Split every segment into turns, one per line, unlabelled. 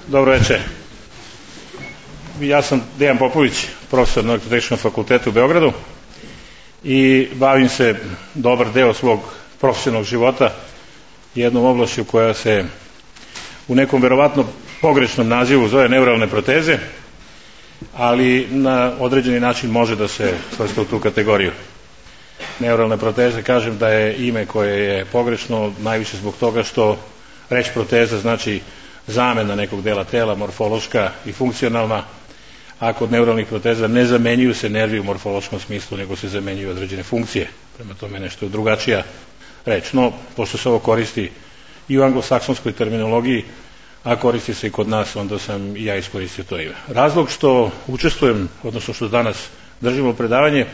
Dobro večer. Ja sam Dejan Popović, profesor na Elektrotehničkom fakultetu u Beogradu i bavim se dobar deo svog profesionalnog života jednom oblašću koja se u nekom verovatno pogrešnom nazivu zove neuralne proteze, ali na određeni način može da se svrsta u tu kategoriju. Neuralne proteze, kažem da je ime koje je pogrešno najviše zbog toga što reč proteza znači zamena nekog dela tela, morfološka i funkcionalna, a kod neuralnih proteza ne zamenjuju se nervi u morfološkom smislu, nego se zamenjuju određene funkcije. Prema tome nešto je drugačija reč. No, pošto se ovo koristi i u anglosaksonskoj terminologiji, a koristi se i kod nas, onda sam i ja iskoristio to ime. Razlog što učestvujem, odnosno što danas držimo predavanje,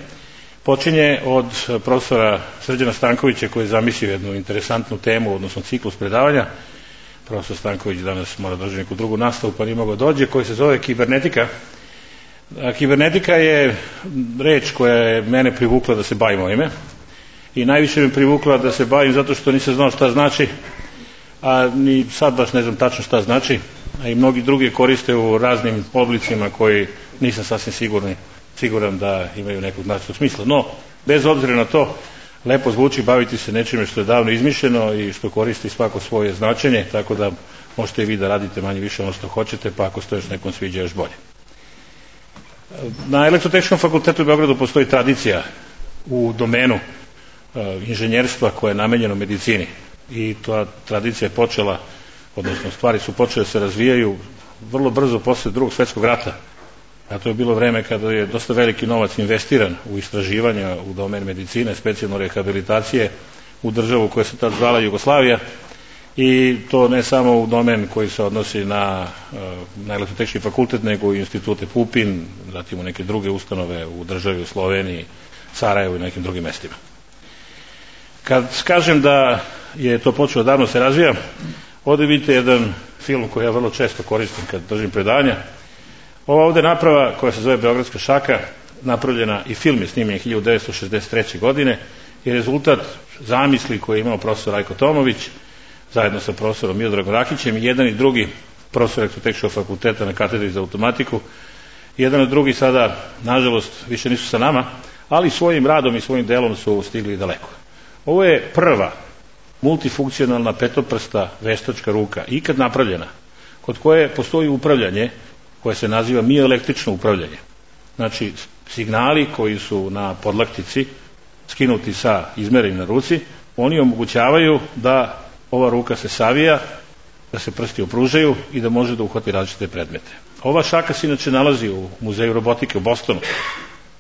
počinje od profesora Srđana Stankovića koji je zamislio jednu interesantnu temu, odnosno ciklus predavanja. Profesor Stanković danas mora da drži neku drugu nastavu pa nije mogao dođe, koji se zove kibernetika. Kibernetika je reč koja je mene privukla da se bavim ovime i najviše me privukla da se bavim zato što nisam znao šta znači, a ni sad baš ne znam tačno šta znači, a i mnogi drugi koriste u raznim oblicima koji nisam sasvim siguran da imaju nekog značajnog smisla. No, bez obzira na to, lepo zvuči baviti se nečime što je davno izmišljeno i što koristi svako svoje značenje, tako da možete i vi da radite manje više ono što hoćete, pa ako se to još nekom sviđa još bolje. Na Elektrotehničkom fakultetu u Beogradu postoji tradicija u domenu inženjerstva koje je namenjeno medicini i ta tradicija je počela, odnosno stvari su počele da se razvijaju vrlo brzo posle Drugog svjetskog rata. A to je bilo vreme kada je dosta veliki novac investiran u istraživanja u domen medicine, specijalno rehabilitacije u državu koja se tad zvala Jugoslavija, i to ne samo u domen koji se odnosi na Elektrotehnički fakultet, nego i institute Pupin, zatim u neke druge ustanove u državi, u Sloveniji, Sarajevu i nekim drugim mestima. Kad kažem da je to počelo davno se razvija, ovdje vidite jedan film koji ja vrlo često koristim kad držim predavanja. Ova ovdje naprava koja se zove Beogradska šaka, napravljena i film je snimljen 1963. godine, je rezultat zamisli koje je imao profesor Rajko Tomović zajedno sa profesorom Miodragom Rakićem, i jedan i drugi profesor Elektrotehničkog fakulteta na katedri za automatiku. Jedan i drugi sada, nažalost, više nisu sa nama, ali svojim radom i svojim delom su stigli daleko. Ovo je prva multifunkcionalna petoprsta veštačka ruka ikad napravljena, kod koje postoji upravljanje koje se naziva mioelektrično upravljanje. Znači, signali koji su na podlaktici skinuti sa izmerenim na ruci, oni omogućavaju da ova ruka se savija, da se prsti opružaju i da može da uhvati različite predmete. Ova šaka se inače nalazi u Muzeju robotike u Bostonu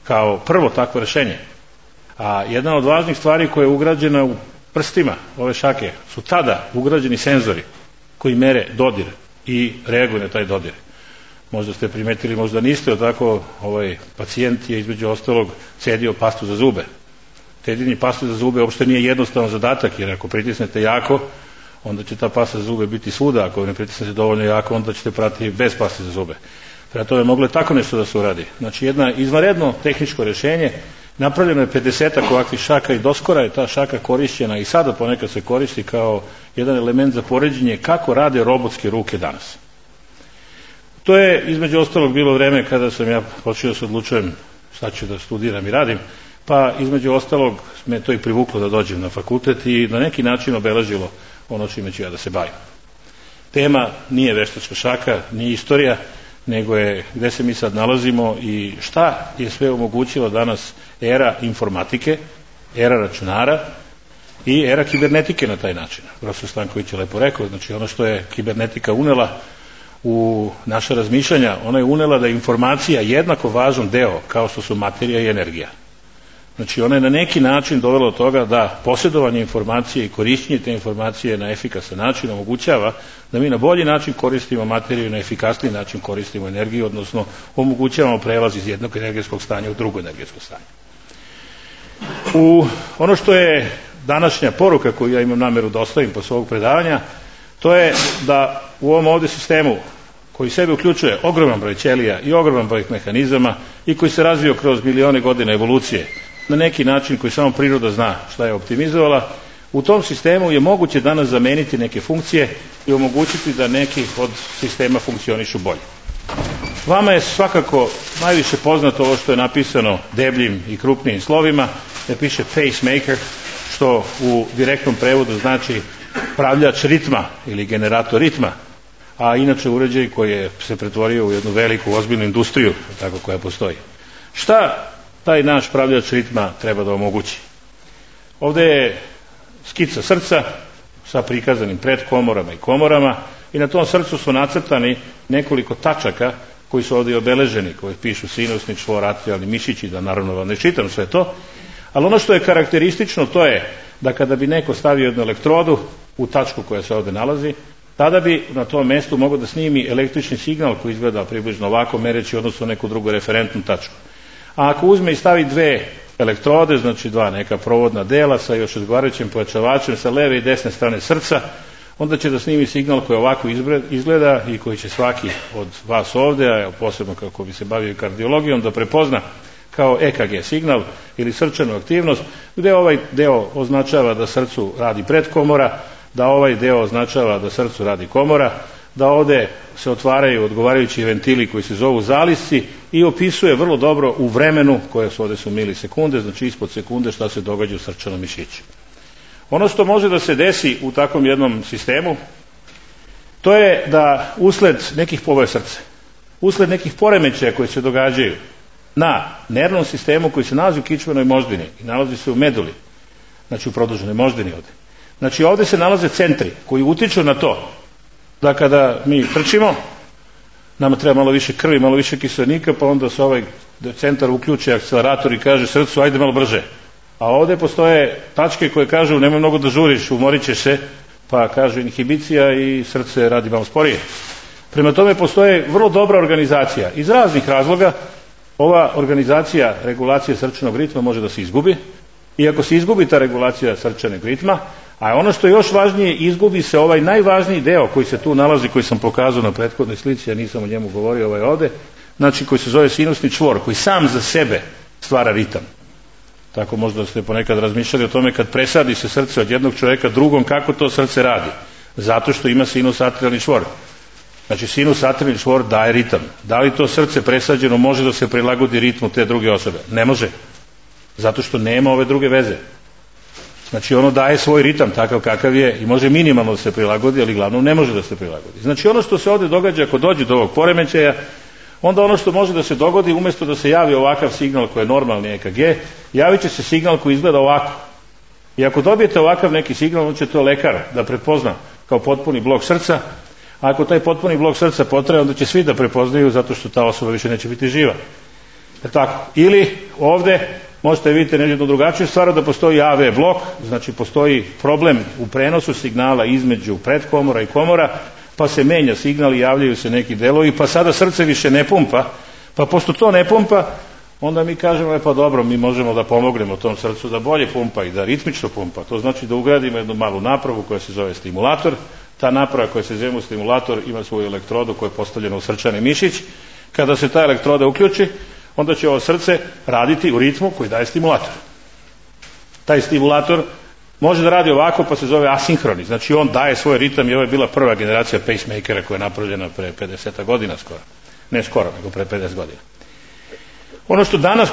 kao prvo takvo rešenje. A jedna od važnih stvari koja je ugrađena u prstima ove šake su tada ugrađeni senzori koji mere dodir i reaguju na taj dodir. Možda ste primetili, možda niste, tako ovaj pacijent je između ostalog cedio pastu za zube. Cedjenje paste za zube uopšte nije jednostavan zadatak, jer ako pritisnete jako, onda će ta pasta za zube biti svuda, ako ne pritisnete dovoljno jako, onda ćete pratiti bez paste za zube. Prema tome moglo je tako nešto da se uradi. Znači, jedno izvanredno tehničko rješenje, napravljeno je 50 ovakvih šaka i doskora je ta šaka korišćena i sada ponekad se koristi kao jedan element za poređenje kako rade robotske ruke danas. To je između ostalog bilo vreme kada sam ja počeo da se odlučujem šta ću da studiram i radim, pa između ostalog me to i privuklo da dođem na fakultet i na neki način obeležilo ono čime ću ja da se bavim. Tema nije veštačka šaka, nije istorija, nego je gde se mi sad nalazimo i šta je sve omogućilo danas era informatike, era računara i era kibernetike na taj način. Profesor Stanković je lepo rekao, znači ono što je kibernetika unela u naše razmišljanja, ona je unela da je informacija jednako važan deo kao što su materija i energija. Znači ona je na neki način dovela do toga da posjedovanje informacije i korišćenje te informacije na efikasan način omogućava da mi na bolji način koristimo materiju i na efikasniji način koristimo energiju, odnosno omogućavamo prelaz iz jednog energetskog stanja u drugo energetsko stanje. Ono što je današnja poruka koju ja imam nameru da ostavim posle ovog predavanja, to je da u ovom ovdje sistemu koji sebe uključuje ogroman broj ćelija i ogroman broj mehanizama i koji se razvio kroz milione godina evolucije, na neki način koji samo priroda zna šta je optimizovala, U tom sistemu je moguće danas zameniti neke funkcije i omogućiti da neki od sistema funkcionišu bolje. Vama je svakako najviše poznato ovo što je napisano debljim i krupnijim slovima, da piše pacemaker, što u direktnom prevodu znači pravljač ritma ili generator ritma, a inače uređaj koji je se pretvorio u jednu veliku ozbiljnu industriju tako koja postoji. Šta taj naš pravljač ritma treba da omogući? Ovdje je skica srca sa prikazanim predkomorama i komorama i na tom srcu su nacrtani nekoliko tačaka koji su ovdje obeleženi, koji pišu sinusni čvor, atrijalni mišići, da naravno vam ne čitam sve to, ali ono što je karakteristično to je da kada bi neko stavio jednu elektrodu u tačku koja se ovdje nalazi, tada bi na tom mjestu mogao da snimi električni signal koji izgleda približno ovako, mereći odnosno neku drugu referentnu tačku. A ako uzme i stavi dve elektrode, znači dva neka provodna dela sa još odgovarajućim pojačavačem sa leve i desne strane srca, onda će da snimi signal koji ovako izgleda i koji će svaki od vas ovdje, a posebno kako bi se bavio kardiologijom, da prepozna kao EKG signal ili srčanu aktivnost, gdje ovaj deo označava da srcu radi predkomora, da ovaj deo označava da srcu radi komora, da ovdje se otvaraju odgovarajući ventili koji se zovu zalisci i opisuje vrlo dobro u vremenu, koje su ovdje su milisekunde, znači ispod sekunde, šta se događa u srčanom mišiću. Ono što može da se desi u takvom jednom sistemu, to je da usled nekih poboja srca, usled nekih poremećaja koji se događaju na nervnom sistemu koji se nalazi u kičmenoj moždini i nalazi se u meduli, znači u produženoj moždini ovdje. Znači ovdje se nalaze centri koji utiču na to da kada mi trčimo, nama treba malo više krvi, malo više kiselnika, pa onda se ovaj centar uključi akcelerator i kaže srcu ajde malo brže. A ovdje postoje tačke koje kažu nemoj mnogo da žuriš, umorit ćeš se, pa kažu inhibicija i srce radi malo sporije. Prema tome postoje vrlo dobra organizacija. Iz raznih razloga ova organizacija regulacije srčanog ritma može da se izgubi, i ako se izgubi ta regulacija srčanog ritma, a ono što je još važnije, izgubi se ovaj najvažniji deo koji se tu nalazi, koji sam pokazao na prethodnoj slici, ja nisam o njemu govorio, ovaj ovdje, znači koji se zove sinusni čvor, koji sam za sebe stvara ritam. Tako možda ste ponekad razmišljali o tome kad presadi se srce od jednog čovjeka drugom, kako to srce radi. Zato što ima sinus atrijalni čvor. Znači sinus atrijalni čvor daje ritam. Da li to srce presađeno može da se prilagodi ritmu te druge osobe? Ne može. Zato što nema ove druge veze. Znači ono daje svoj ritam takav kakav je i može minimalno da se prilagodi, ali glavno ne može da se prilagodi. Znači ono što se ovdje događa ako dođe do ovog poremećaja, onda ono što može da se dogodi, umjesto da se javi ovakav signal koji je normalni EKG, javit će se signal koji izgleda ovako. I ako dobijete ovakav neki signal, onda će to lekar da prepozna kao potpuni blok srca, a ako taj potpuni blok srca potraje, onda će svi da prepoznaju zato što ta osoba više neće biti živa. Tako. Ili ovdje možete vidjeti jednu drugačiju stvar, da postoji AV blok, znači postoji problem u prenosu signala između predkomora i komora, pa se menja signal i javljaju se neki delovi, pa sada srce više ne pumpa, pa pošto to ne pumpa, onda mi kažemo, pa dobro, mi možemo da pomognemo tom srcu da bolje pumpa i da ritmično pumpa. To znači da ugradimo jednu malu napravu koja se zove stimulator. Ta naprava koja se zove stimulator ima svoju elektrodu koja je postavljena u srčani mišić. Kada se ta elektroda uključi, onda će ovo srce raditi u ritmu koji daje stimulator. Taj stimulator može da radi ovako, pa se zove asinhroni. Znači on daje svoj ritam i ovo je bila prva generacija pacemakera koja je napravljena pre 50 godina skoro. Ne skoro, nego pre 50 godina. Ono što danas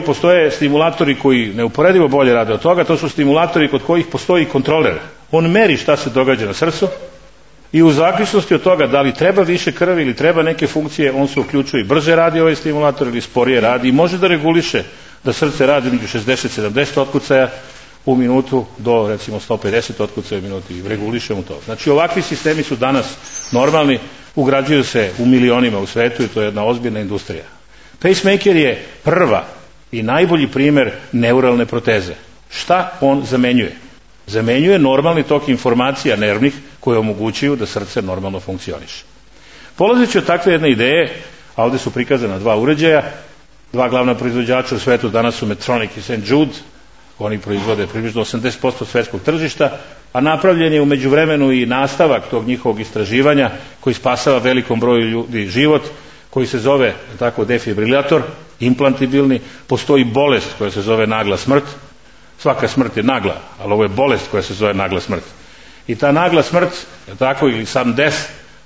postoje stimulatori koji neuporedivo bolje rade od toga, to su stimulatori kod kojih postoji kontroler. On meri šta se događa na srcu i u zaključnosti od toga da li treba više krvi ili treba neke funkcije, on se uključuje i brže radi ovaj stimulator ili sporije radi i može da reguliše da srce radi među 60-70 otkucaja u minutu do recimo 150 otkucaja u minutu i regulišemo to. Znači ovakvi sistemi su danas normalni, ugrađuju se u milionima u svetu i to je jedna ozbiljna industrija. Pacemaker je prva i najbolji primjer neuralne proteze. Šta on zamenjuje? Zamenjuje normalni tok informacija nervnih koje omogućuju da srce normalno funkcioniše. Polazeći od takve jedne ideje, a ovdje su prikazana dva uređaja, dva glavna proizvođača u svetu danas su Medtronic i St. Jude, oni proizvode približno 80% svjetskog tržišta, a napravljen je u međuvremenu i nastavak tog njihovog istraživanja koji spasava velikom broju ljudi život, koji se zove tako defibrilator, implantibilni. Postoji bolest koja se zove nagla smrt, Svaka smrt je nagla, ali ovo je bolest koja se zove nagla smrt. I ta nagla smrt, tako, ili sudden death,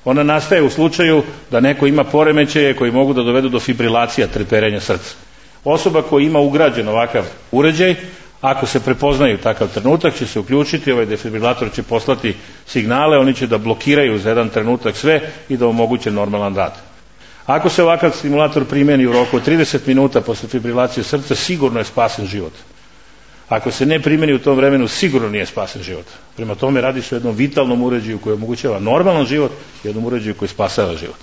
ona nastaje u slučaju da neko ima poremećaje koji mogu da dovedu do fibrilacija, treperenja srca. Osoba koja ima ugrađen ovakav uređaj, ako se prepoznaju takav trenutak, će se uključiti, ovaj defibrilator će poslati signale, oni će da blokiraju za jedan trenutak sve i da omoguće normalan rad. Ako se ovakav stimulator primjeni u roku od 30 minuta posle fibrilacije srca, sigurno je spasen život. Ako se ne primjeni u tom vremenu, sigurno nije spasen život. Prema tome radi se o jednom vitalnom uređaju koji omogućava normalan život i jednom uređaju koji spasava život.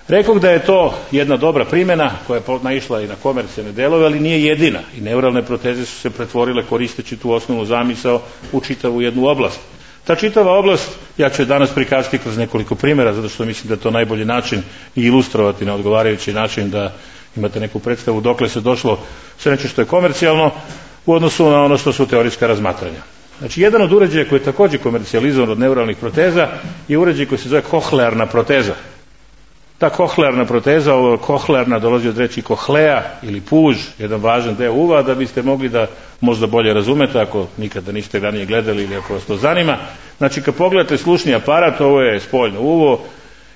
Rekoh da je to jedna dobra primjena koja je naišla i na komercijalne delove, ali nije jedina. I neuralne proteze su se pretvorile koristeći tu osnovnu zamisao u čitavu jednu oblast. Ta čitava oblast, ja ću je danas prikazati kroz nekoliko primjera, zato što mislim da je to najbolji način i ilustrovati na odgovarajući način da imate neku predstavu dokle se došlo sve nešto što je komercijalno u odnosu na ono što su teorijska razmatranja. Znači, jedan od uređaja koji je također komercijalizovan od neuralnih proteza je uređaj koji se zove kohlearna proteza. Ta kohlearna proteza, ovo kohlearna dolazi od reči kohlea ili puž, jedan važan deo uva, da biste mogli da možda bolje razumete ako nikada niste ranije gledali ili ako vas to zanima. Znači, kad pogledate slušni aparat, ovo je spoljno uvo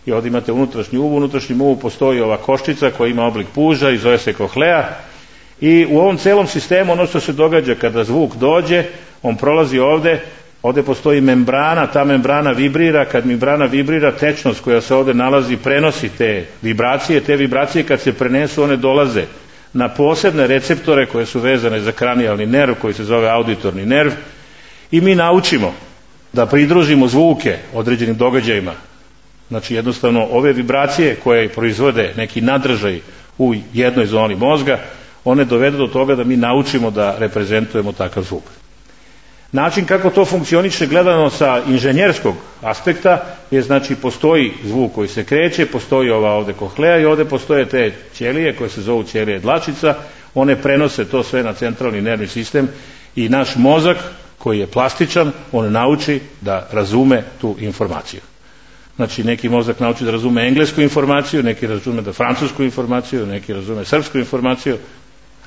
i ovdje imate unutrašnji uvo, u unutrašnjem uvu postoji ova koščica koja ima oblik puža i zove se kohlea. I u ovom celom sistemu ono što se događa kada zvuk dođe, on prolazi ovdje postoji membrana, ta membrana vibrira, kad membrana vibrira, tečnost koja se ovdje nalazi prenosi te vibracije kad se prenesu one dolaze na posebne receptore koje su vezane za kranijalni nerv koji se zove auditorni nerv i mi naučimo da pridružimo zvuke određenim događajima. Znači jednostavno ove vibracije koje proizvode neki nadržaj u jednoj zoni mozga, one dovedu do toga da mi naučimo da reprezentujemo takav zvuk. Način kako to funkcioniše gledano sa inženjerskog aspekta je, znači, postoji zvuk koji se kreće, postoji ova ovdje kohlea i ovdje postoje te ćelije koje se zovu ćelije dlačica, one prenose to sve na centralni nervni sistem i naš mozak koji je plastičan, on nauči da razume tu informaciju. Znači, neki mozak nauči da razume englesku informaciju, neki razume da francusku informaciju, neki razume srpsku informaciju,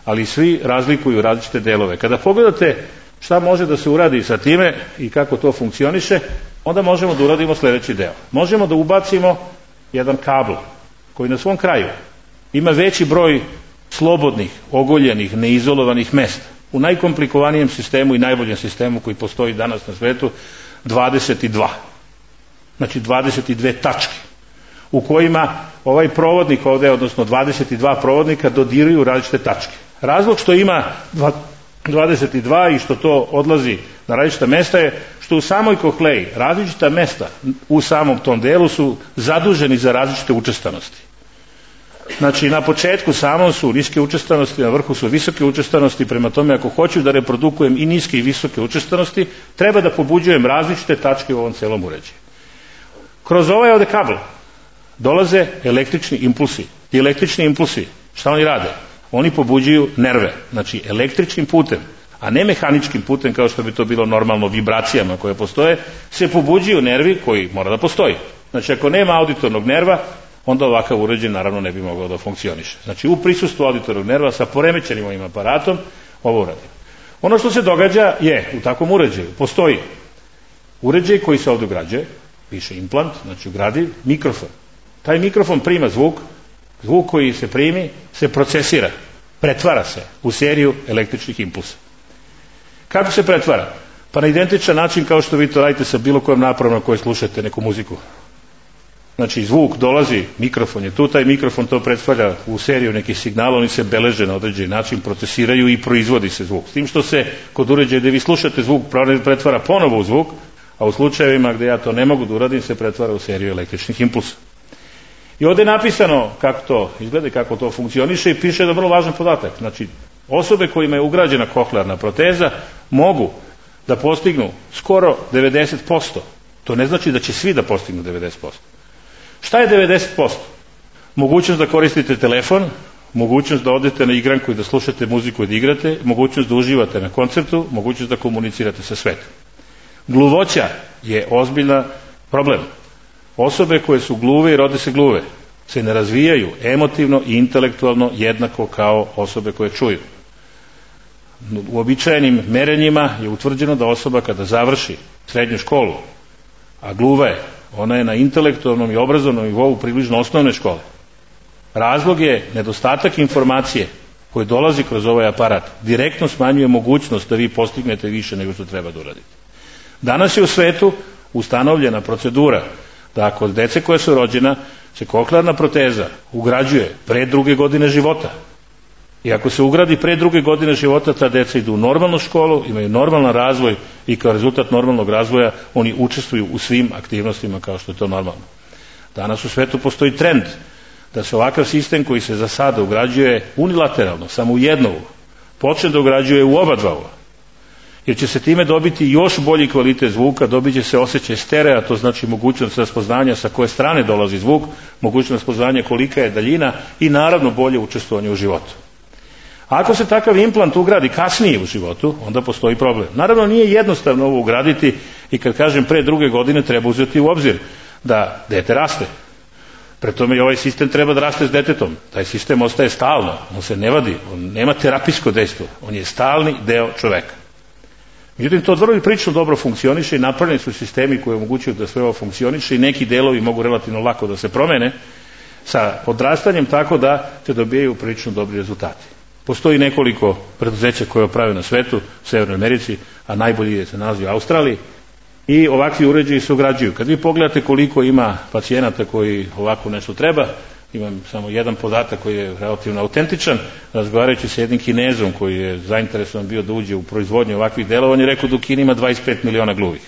ali svi razlikuju različite delove. Kada pogledate šta može da se uradi sa time i kako to funkcioniše, onda možemo da uradimo sljedeći deo. Možemo da ubacimo jedan kabl koji na svom kraju ima veći broj slobodnih, ogoljenih, neizolovanih mesta. U najkomplikovanije sistemu i najboljem sistemu koji postoji danas na svetu 22. Znači 22 tačke u kojima ovaj provodnik ovdje, odnosno 22 provodnika dodiruju različite tačke. Razlog što ima 22 i što to odlazi na različita mesta je što u samoj kohleji različita mesta u samom tom delu su zaduženi za različite učestanosti. Znači, na početku samom su niske učestanosti, na vrhu su visoke učestanosti, prema tome ako hoću da reprodukujem i niske i visoke učestanosti, treba da pobuđujem različite tačke u ovom celom uređaju. Kroz ovaj ovdje kabel dolaze električni impulsi. Ti električni impulsi, šta oni rade? Oni pobuđuju nerve, znači električnim putem, a ne mehaničkim putem kao što bi to bilo normalno vibracijama koje postoje, se pobuđuju nervi koji mora da postoji. Znači, ako nema auditornog nerva, onda ovakav uređaj naravno ne bi mogao da funkcioniše. Znači, u prisustvu auditornog nerva sa poremećenim ovim aparatom ovo uradi. Ono što se događa je, u takvom uređaju postoji uređaj koji se ovdje ugrađuje, piše implant, znači ugradiv mikrofon. Taj mikrofon prima zvuk koji se primi se procesira, pretvara se u seriju električnih impulsa. Kako se pretvara? Pa na identičan način kao što vi to radite sa bilo kojom napravom na kojoj slušate neku muziku. Znači, zvuk dolazi, mikrofon je tu, taj mikrofon to pretvarja u seriju nekih signala, oni se beleže na određeni način, procesiraju i proizvodi se zvuk. S tim što se kod uređaja gdje vi slušate zvuk pretvara ponovo u zvuk, a u slučajevima gdje ja to ne mogu da uradim se pretvara u seriju električnih impulsa. I ovdje je napisano kako to izgleda i kako to funkcioniše i piše da vrlo važan podatak. Znači, osobe kojima je ugrađena kohlearna proteza mogu da postignu skoro 90%. To ne znači da će svi da postignu 90%. Šta je 90%? Mogućnost da koristite telefon, mogućnost da odete na igranku i da slušate muziku i da igrate, mogućnost da uživate na koncertu, mogućnost da komunicirate sa svetom. Gluvoća je ozbiljan problem. Osobe koje su gluve i rode se gluve se ne razvijaju emotivno i intelektualno jednako kao osobe koje čuju. uobičajenim merenjima je utvrđeno da osoba kada završi srednju školu, a gluva je, ona je na intelektualnom i obrazovnom nivou približno osnovne škole. Razlog je nedostatak informacije koji dolazi kroz ovaj aparat, direktno smanjuje mogućnost da vi postignete više nego što treba da uradite. Danas je u svetu ustanovljena procedura da kod dece koja su rođena se koklearna proteza ugrađuje pre 2. godine života. I ako se ugradi pre 2. godine života, ta deca idu u normalnu školu, imaju normalan razvoj i kao rezultat normalnog razvoja oni učestvuju u svim aktivnostima kao što je to normalno. Danas u svetu postoji trend da se ovakav sistem koji se za sada ugrađuje unilateralno, samo u jedno uvo, počne da ugrađuje u oba dva uva. Jer će se time dobiti još bolji kvalitet zvuka, dobit će se osjećaj sterea, to znači mogućnost raspoznanja sa koje strane dolazi zvuk, mogućnost raspoznanja kolika je daljina i naravno bolje učestvovanje u životu. Ako se takav implant ugradi kasnije u životu, onda postoji problem. Naravno nije jednostavno ovo ugraditi i kad kažem pre 2. godine treba uzeti u obzir da dete raste. Pre tome i ovaj sistem treba da raste s detetom. Taj sistem ostaje stalno, on se ne vadi, on nema terapijsko dejstvo, on je stalni deo čoveka. Međutim, to vrlo i prilično dobro funkcioniše i napravljeni su sistemi koji omogućuju da sve ovo funkcioniše i neki delovi mogu relativno lako da se promene sa odrastanjem tako da se dobijaju prilično dobri rezultati. Postoji nekoliko preduzeća koje oprave na svetu, u Severnoj Americi, a najbolji se nalazi u Australiji i ovakvi uređaji se ugrađuju. Kad vi pogledate koliko ima pacijenata koji ovako nešto treba, imam samo jedan podatak koji je relativno autentičan, razgovarajući sa jednim Kinezom koji je zainteresovan bio da uđe u proizvodnju ovakvih delova, on je rekao da u Kini ima 25 miliona gluvih.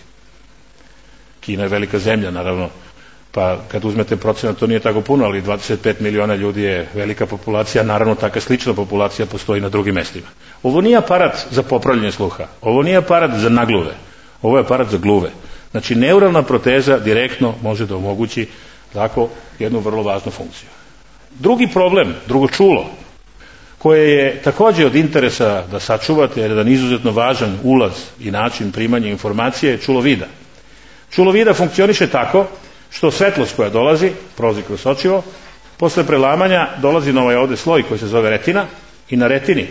Kina je velika zemlja, naravno, pa kad uzmete procenat, to nije tako puno, ali 25 miliona ljudi je velika populacija, naravno taka slična populacija postoji na drugim mestima. Ovo nije aparat za popravljanje sluha, ovo nije aparat za nagluve, ovo je aparat za gluve. Znači, neuralna proteza direktno može da omogući tako jednu vrlo važnu funkciju. Drugi problem, drugo čulo, koje je također od interesa da sačuvate, jer je jedan izuzetno važan ulaz i način primanja informacije, je čulo vida. Čulo vida funkcioniše tako što svetlost koja dolazi, prolazi kroz očivo, posle prelamanja dolazi na ovaj ovde sloj koji se zove retina i na retini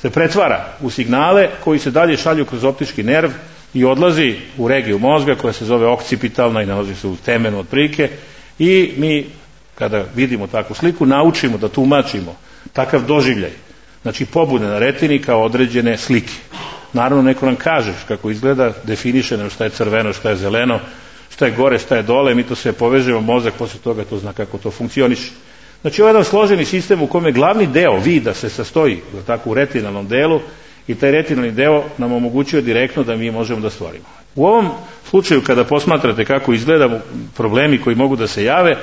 se pretvara u signale koji se dalje šalju kroz optički nerv i odlazi u regiju mozga koja se zove okcipitalna i nalazi se u temenu otprilike i mi kada vidimo takvu sliku naučimo da tumačimo takav doživljaj, znači pobude na retini kao određene slike. Naravno neko nam kaže kako izgleda, definiše nam šta je crveno, šta je zeleno, šta je gore, šta je dole, mi to sve povežemo, mozak posle toga to zna kako to funkcioniše. Znači ovo je jedan složeni sistem u kome glavni deo vida se sastoji tako u retinalnom delu i taj retinalni deo nam omogućuje direktno da mi možemo da stvorimo. U ovom slučaju kada posmatrate kako izgleda problemi koji mogu da se jave,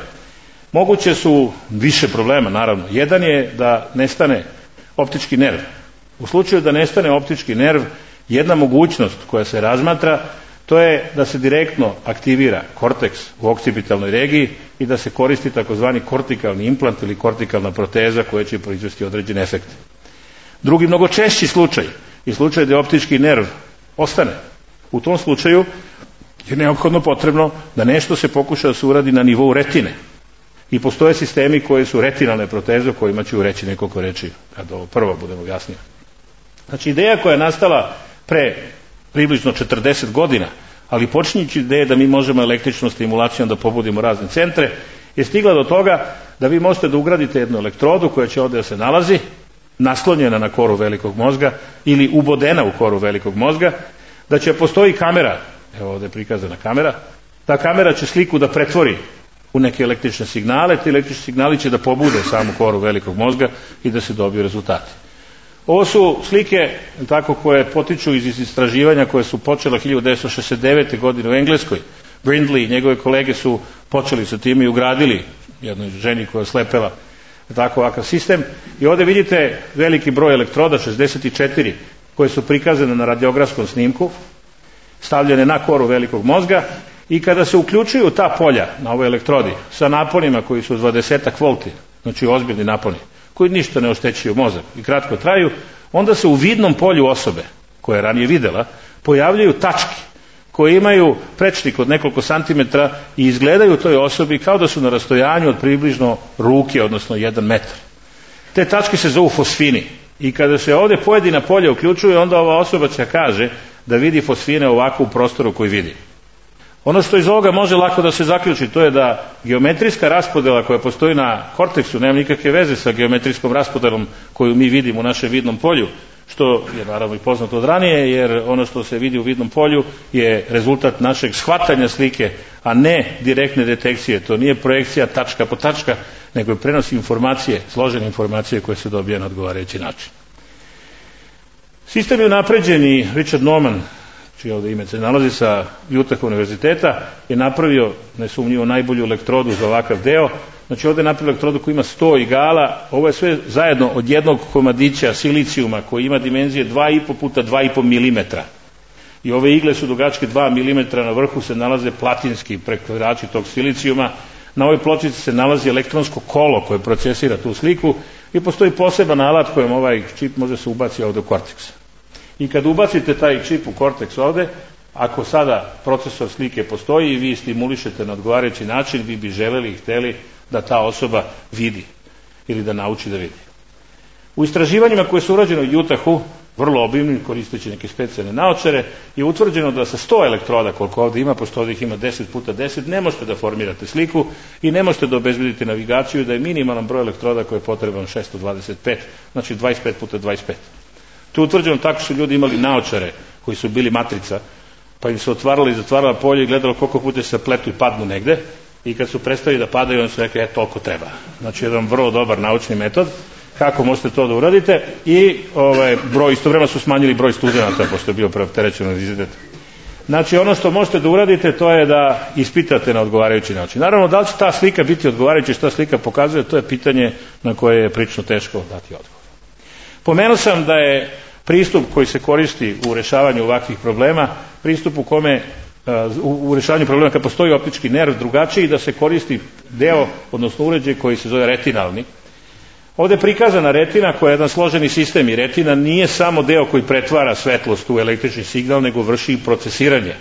moguće su više problema naravno. Jedan je da nestane optički nerv. U slučaju da nestane optički nerv, jedna mogućnost koja se razmatra, to je da se direktno aktivira korteks u okcipitalnoj regiji i da se koristi takozvani kortikalni implant ili kortikalna proteza koja će proizvesti određene efekte. Drugi, mnogo češći slučaj je slučaj da optički nerv ostane. U tom slučaju je neophodno potrebno da nešto se pokuša da se uradi na nivou retine. I postoje sistemi koji su retinalne proteze o kojima ću reći nekoliko reči kad ovo prvo budemo jasnije. Znači ideja koja je nastala pre približno 40 godina, ali počinjući ideje da mi možemo električnom stimulacijom da pobudimo razne centre, je stigla do toga da vi možete da ugradite jednu elektrodu koja će ovdje da se nalazi, naslonjena na koru velikog mozga ili ubodena u koru velikog mozga, da će postoji kamera, evo ovdje je prikazana kamera, ta kamera će sliku da pretvori u neke električne signale, ti električni signali će da pobude samu koru velikog mozga i da se dobiju rezultati. Ovo su slike tako koje potiču iz istraživanja koje su počela 1969. godine u Engleskoj. Brindley i njegove kolege su počeli sa tim i ugradili jednoj ženi koja je slepela tako ovakav sistem. I ovdje vidite veliki broj elektroda, 64, koje su prikazane na radiografskom snimku, stavljene na koru velikog mozga i kada se uključuju ta polja na ovoj elektrodi sa naponima koji su 20 volti, znači ozbiljni naponi, koji ništa ne oštećuju mozak i kratko traju, onda se u vidnom polju osobe, koja je ranije videla, pojavljaju tačke koje imaju prečnik od nekoliko santimetra i izgledaju toj osobi kao da su na rastojanju od približno ruke, odnosno 1 metar. Te tačke se zovu fosfini. I kada se ovdje pojedina polja uključuje, onda ova osoba će kaže da vidi fosfine ovako u prostoru koji vidi. Ono što iz ovoga može lako da se zaključi, to je da geometrijska raspodela koja postoji na korteksu nema nikakve veze sa geometrijskom raspodelom koju mi vidimo u našem vidnom polju, što je naravno i poznato od ranije, jer ono što se vidi u vidnom polju je rezultat našeg shvatanja slike, a ne direktne detekcije. To nije projekcija tačka po tačka, nego je prenos informacije, složene informacije koje se dobije na odgovarajući način. Sistem je unapređen i Richard Norman, čije ovdje ime se nalazi sa Utah univerziteta, je napravio nesumnjivo najbolju elektrodu za ovakav deo. Znači ovdje je napravio elektrodu koja ima 100 igala, ovo je sve zajedno od jednog komadića silicijuma koji ima dimenzije 2,5 puta 2,5 mm. I ove igle su dugačke 2 mm, na vrhu se nalaze platinski prekvarači tog silicijuma. Na ovoj pločici se nalazi elektronsko kolo koje procesira tu sliku i postoji poseban alat kojem ovaj čip može se ubaciti ovdje u korteks. I kad ubacite taj čip u korteks ovdje, ako sada procesor slike postoji i vi stimulišete na odgovarajući način, vi bi želeli i hteli da ta osoba vidi ili da nauči da vidi. U istraživanjima koje su urađene u Utahu, vrlo obimnim, koristeći neke specijalne naočare, je utvrđeno da sa 100 elektroda, koliko ovdje ima, pošto ovdje ih ima 10 puta 10, ne možete da formirate sliku i ne možete da obezbedite navigaciju, da je minimalan broj elektroda koji je potreban 625, znači 25 puta 25. To je utvrđeno tako što su ljudi imali naočare koji su bili matrica, pa im se otvarala i zatvarala polje i gledalo koliko puta se pletu i padnu negde, i kad su prestali da padaju, oni su rekli, toliko treba. Znači jedan vrlo dobar naučni metod kako možete to da uradite i istovremeno su smanjili broj studenata pošto je bio preopterećen univerzitet. Znači ono što možete da uradite, to je da ispitate na odgovarajući način. Naravno, da li će ta slika biti odgovarajuća, šta slika pokazuje, to je pitanje na koje je prilično teško dati odgovor. Pomenuo sam da je pristup koji se koristi u rešavanju ovakvih problema, pristup u kome u rešavanju problema kad postoji optički nerv drugačiji, da se koristi deo, odnosno uređaj koji se zove retinalni. Ovdje je prikazana retina koja je jedan složeni sistem i retina nije samo deo koji pretvara svetlost u električni signal, nego vrši i procesiranje.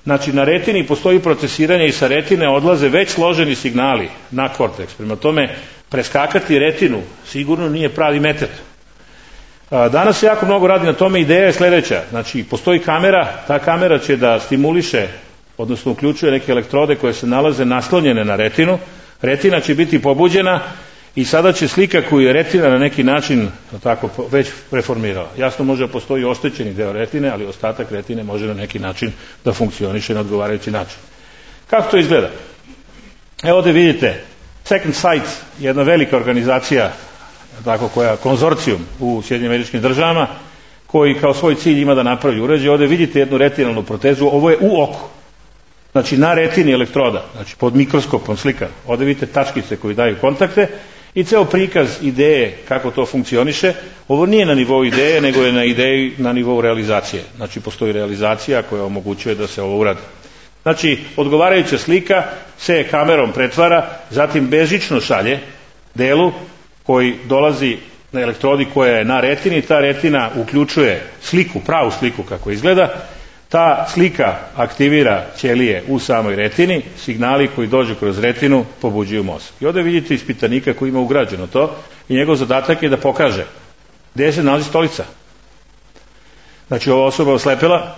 Znači na retini postoji procesiranje i sa retine odlaze već složeni signali na korteks. Prema tome, preskakati retinu sigurno nije pravi metod. Danas se jako mnogo radi na tome, ideja je sljedeća. Znači postoji kamera, ta kamera će da stimuliše, odnosno uključuje neke elektrode koje se nalaze naslonjene na retinu. Retina će biti pobuđena i sada će slika koju je retina na neki način tako već preformirala. Jasno može da postoji oštećeni deo retine, ali ostatak retine može na neki način da funkcioniše na odgovarajući način. Kako to izgleda? Evo ovdje vidite, Second Sight, jedna velika organizacija, tako koja konzorcijum u SAD-u, koji kao svoj cilj ima da napravi uređaj. Ovdje vidite jednu retinalnu protezu, ovo je u oku. Znači na retini elektroda, znači pod mikroskopom slika. Ovdje vidite tačkice koji daju kontakte i ceo prikaz ideje kako to funkcioniše. Ovo nije na nivou ideje, nego je na ideji na nivou realizacije. Znači postoji realizacija koja omogućuje da se ovo uradi. Znači odgovarajuća slika se kamerom pretvara, zatim bežično šalje delu koji dolazi na elektrodi koja je na retini. Ta retina uključuje sliku, pravu sliku kako izgleda. Ta slika aktivira ćelije u samoj retini, signali koji dođu kroz retinu pobuđuju mozak. I ovdje vidite ispitanika koji ima ugrađeno to i njegov zadatak je da pokaže gdje se nalazi stolica. Znači ova osoba oslepela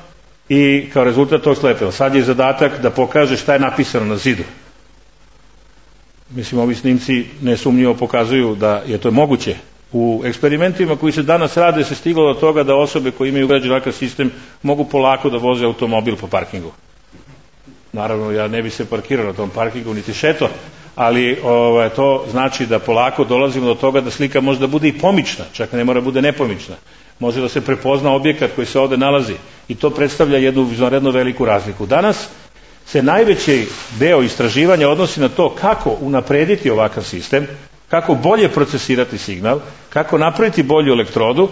i kao rezultat tog slepela. Sad je zadatak da pokaže šta je napisano na zidu. Mislim, ovi snimci nesumnjivo pokazuju da je to moguće. U eksperimentima koji se danas rade se stiglo do toga da osobe koje imaju ugrađen ovakav sistem mogu polako da voze automobil po parkingu. Naravno, ja ne bi se parkirao na tom parkingu niti šeto, ali to znači da polako dolazimo do toga da slika može da bude i pomična, čak ne mora bude nepomična. Može da se prepozna objekat koji se ovdje nalazi i to predstavlja jednu izvanredno veliku razliku. Danas se najveći deo istraživanja odnosi na to kako unaprediti ovakav sistem, kako bolje procesirati signal, kako napraviti bolju elektrodu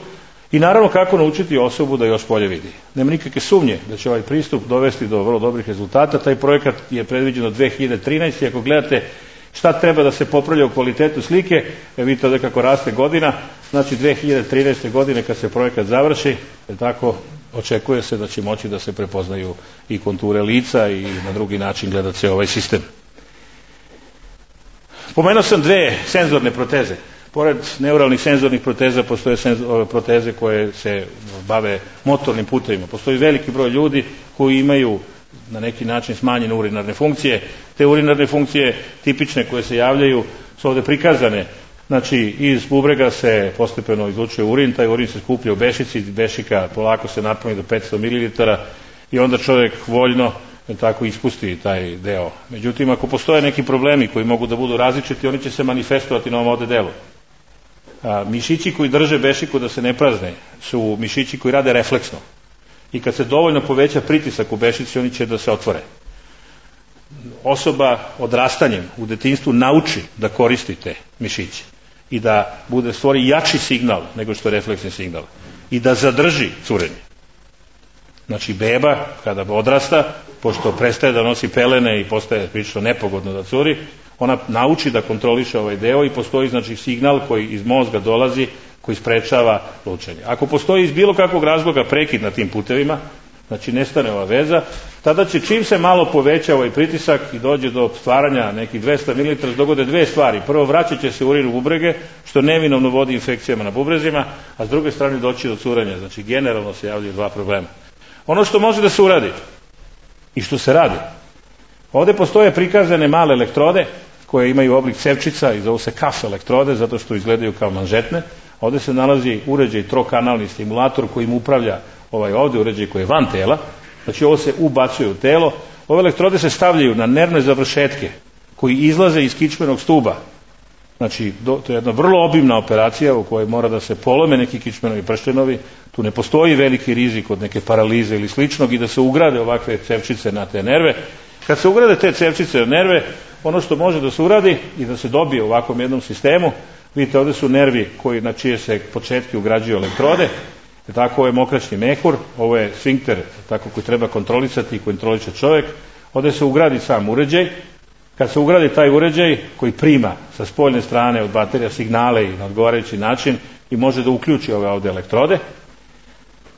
i naravno kako naučiti osobu da još bolje vidi. Nema nikakve sumnje da će ovaj pristup dovesti do vrlo dobrih rezultata. Taj projekat je predviđen od 2013. Ako gledate šta treba da se popravlja u kvalitetu slike, vidite ovdje kako raste godina, znači 2013. godine kad se projekat završi, tako očekuje se da će moći da se prepoznaju i konture lica i na drugi način gledat se ovaj sistem. Pomenuo sam dve senzorne proteze. Pored neuralnih senzornih proteza postoje proteze koje se bave motornim putevima. Postoji veliki broj ljudi koji imaju na neki način smanjene urinarne funkcije. Te urinarne funkcije tipične koje se javljaju su ovde prikazane. Znači, iz bubrega se postepeno izlučuje urin, taj urin se skuplja u bešici, iz bešika polako se napuni do 500 ml i onda čovjek voljno tako ispusti taj deo. Međutim, ako postoje neki problemi koji mogu da budu različiti, oni će se manifestovati na ovom ovde delu. Mišići koji drže bešiku da se ne prazne su mišići koji rade refleksno. I kad se dovoljno poveća pritisak u bešici, oni će da se otvore. Osoba odrastanjem u detinjstvu nauči da koristi te mišiće i da stvori jači signal nego što je refleksni signal i da zadrži curenje. Znači, beba kada odrasta, pošto prestaje da nosi pelene i postaje prilično nepogodno da curi, ona nauči da kontroliše ovaj deo i postoji znači signal koji iz mozga dolazi koji sprečava lučenje. Ako postoji iz bilo kakvog razloga prekid na tim putevima, znači nestane ova veza, tada će čim se malo poveća ovaj pritisak i dođe do stvaranja nekih 200 ml, dogode dve stvari. Prvo, vraćat će se urin u bubrege, što neminovno vodi infekcijama na bubrezima, a s druge strane doći do curenja. Znači, generalno se javljaju dva problema. Ono što može da se uradi i što se radi, ovde postoje prikazane male elektrode koje imaju oblik cevčica i zovu se kaf elektrode zato što izgledaju kao manžetne. Ovde se nalazi uređaj trokanalni stimulator kojim upravlja ovaj ovde uređaj koji je van tela. Znači, ovo se ubacuje u telo. Ove elektrode se stavljaju na nervne završetke koji izlaze iz kičmenog stuba. Znači, to je jedna vrlo obimna operacija u kojoj mora da se polome neki kičmenovi prštenovi. Tu ne postoji veliki rizik od neke paralize ili sličnog i da se ugrade ovakve cevčice na te nerve. Kad se ugrade te cevčice na nerve, ono što može da se uradi i da se dobije u ovakvom jednom sistemu, vidite, ovde su nervi na čije se početke ugrađuju elektrode. Tako, ovo je mokraćni mehur, ovo je sfinkter tako koji treba kontrolisati i kontroliše čovjek. Ovde se ugradi sam uređaj. Kad se ugradi taj uređaj koji prima sa spoljne strane od baterija signale i na odgovarajući način i može da uključi ove ovde elektrode,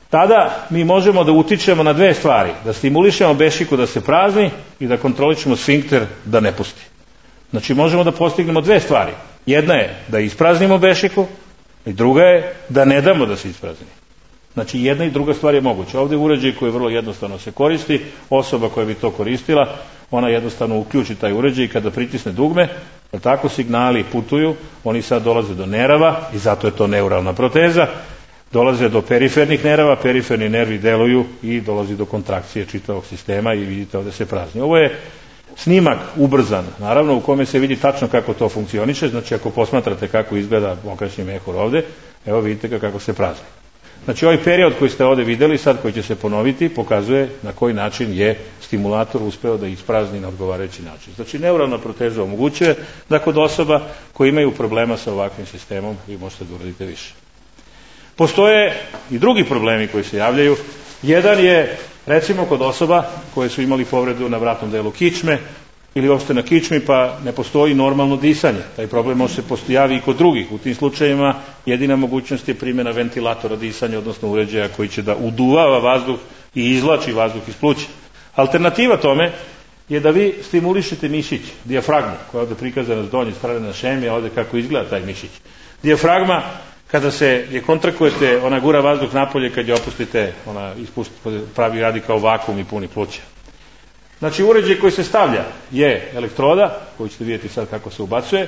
tada mi možemo da utičemo na dve stvari. Da stimulišemo bešiku da se prazni i da kontrolišemo sfinkter da ne pusti. Znači, možemo da postignemo dve stvari. Jedna je da ispraznimo bešiku i druga je da ne damo da se isprazni. Znači, jedna i druga stvar je moguća. Ovde je uređaj koji vrlo jednostavno se koristi. Osoba koja bi to koristila, ona jednostavno uključi taj uređaj i kada pritisne dugme, tako signali putuju, oni sad dolaze do nerava i zato je to neuralna proteza, dolaze do perifernih nerava, periferni nervi deluju i dolazi do kontrakcije čitavog sistema i vidite ovde se prazni. Ovo je snimak ubrzan, naravno, u kome se vidi tačno kako to funkcioniše. Znači, ako posmatrate kako izgleda mokraćni mehur ovde, evo vidite ga kako se prazni. Znači, ovaj period koji ste ovde videli, sad koji će se ponoviti, pokazuje na koji način je stimulator uspeo da isprazni na odgovarajući način. Znači, neuralna proteza omogućuje da kod osoba koji imaju problema sa ovakvim sistemom vi možete da uradite više. Postoje i drugi problemi koji se javljaju. Jedan je, recimo, kod osoba koje su imali povredu na vratnom delu kičme ili uopšte na kičmi, pa ne postoji normalno disanje. Taj problem može se postojavi i kod drugih. U tim slučajevima jedina mogućnost je primjena ventilatora disanja, odnosno uređaja koji će da uduvava vazduh i izvlači vazduh iz pluća. Alternativa tome je da vi stimulišete mišić, dijafragmu, koja je ovde prikazana s donje strane na šemi, a ovde kako izgleda taj mišić. Dijafragma, kada se je kontrakujete, ona gura vazduh napolje, kad je opustite, ona pravi radi kao vakuum i puni pluća. Znači, uređaj koji se stavlja je elektroda, koju ćete vidjeti sad kako se ubacuje,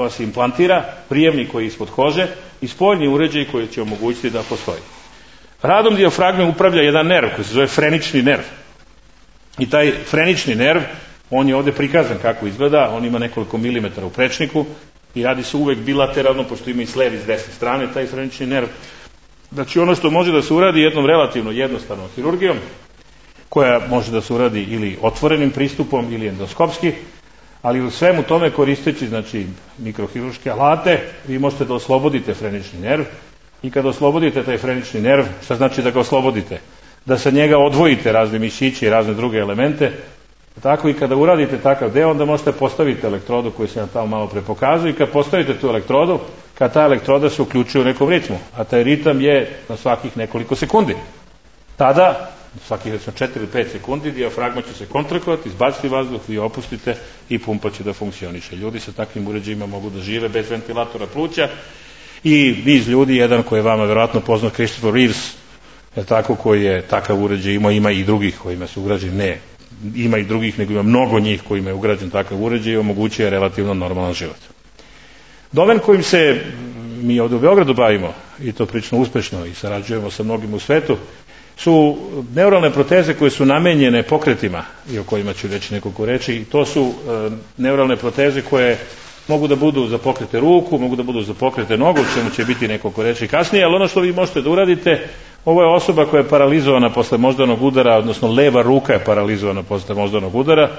se implantira, prijemnik koji je ispod kože i spoljni uređaj koji će omogućiti da postoji. Radom dijafragme upravlja jedan nerv koji se zove frenični nerv. I taj frenični nerv, on je ovde prikazan kako izgleda, on ima nekoliko milimetara u prečniku i radi se uvek bilateralno, pošto ima i s leve i s desne strane taj frenični nerv. Znači, ono što može da se uradi jednom relativno jednostavnom hirurgijom, koja može da se uradi ili otvorenim pristupom ili endoskopski, ali u svemu tome koristeći, znači, mikrohirurške alate, vi možete da oslobodite frenični nerv i kada oslobodite taj frenični nerv, šta znači da ga oslobodite? Da sa njega odvojite razne mišiće i razne druge elemente, tako i kada uradite takav deo, onda možete postaviti elektrodu koju se nam tamo malo pre pokazuje i kad postavite tu elektrodu, kad ta elektroda se uključuje u nekom ritmu, a taj ritam je na svakih nekoliko sekundi. Tada svakih recimo 4 ili 5 sekundi, dijafragma će se kontrakovati, izbaciti vazduh, vi opustite i pumpa će da funkcioniše. Ljudi sa takvim uređajima mogu da žive bez ventilatora pluća i niz ljudi, jedan koji je vama verovatno poznat, Christopher Reeves, je tako, koji je takav uređaj imao, ima i drugih kojima su ugrađeni, ne, ima i drugih, nego ima mnogo njih kojima je ugrađen takav uređaj i omogućuje relativno normalan život. Domen kojim se mi ovdje u Beogradu bavimo, i to prilično uspešno i sarađujemo sa mnogim u svetu, su neuralne proteze koje su namenjene pokretima i o kojima ću reći nekoliko reči. I to su neuralne proteze koje mogu da budu za pokrete ruku, mogu da budu za pokrete nogu, o čemu će biti nekoliko reči kasnije, ali ono što vi možete da uradite, ovo je osoba koja je paralizovana posle moždanog udara, odnosno leva ruka je paralizovana posle moždanog udara,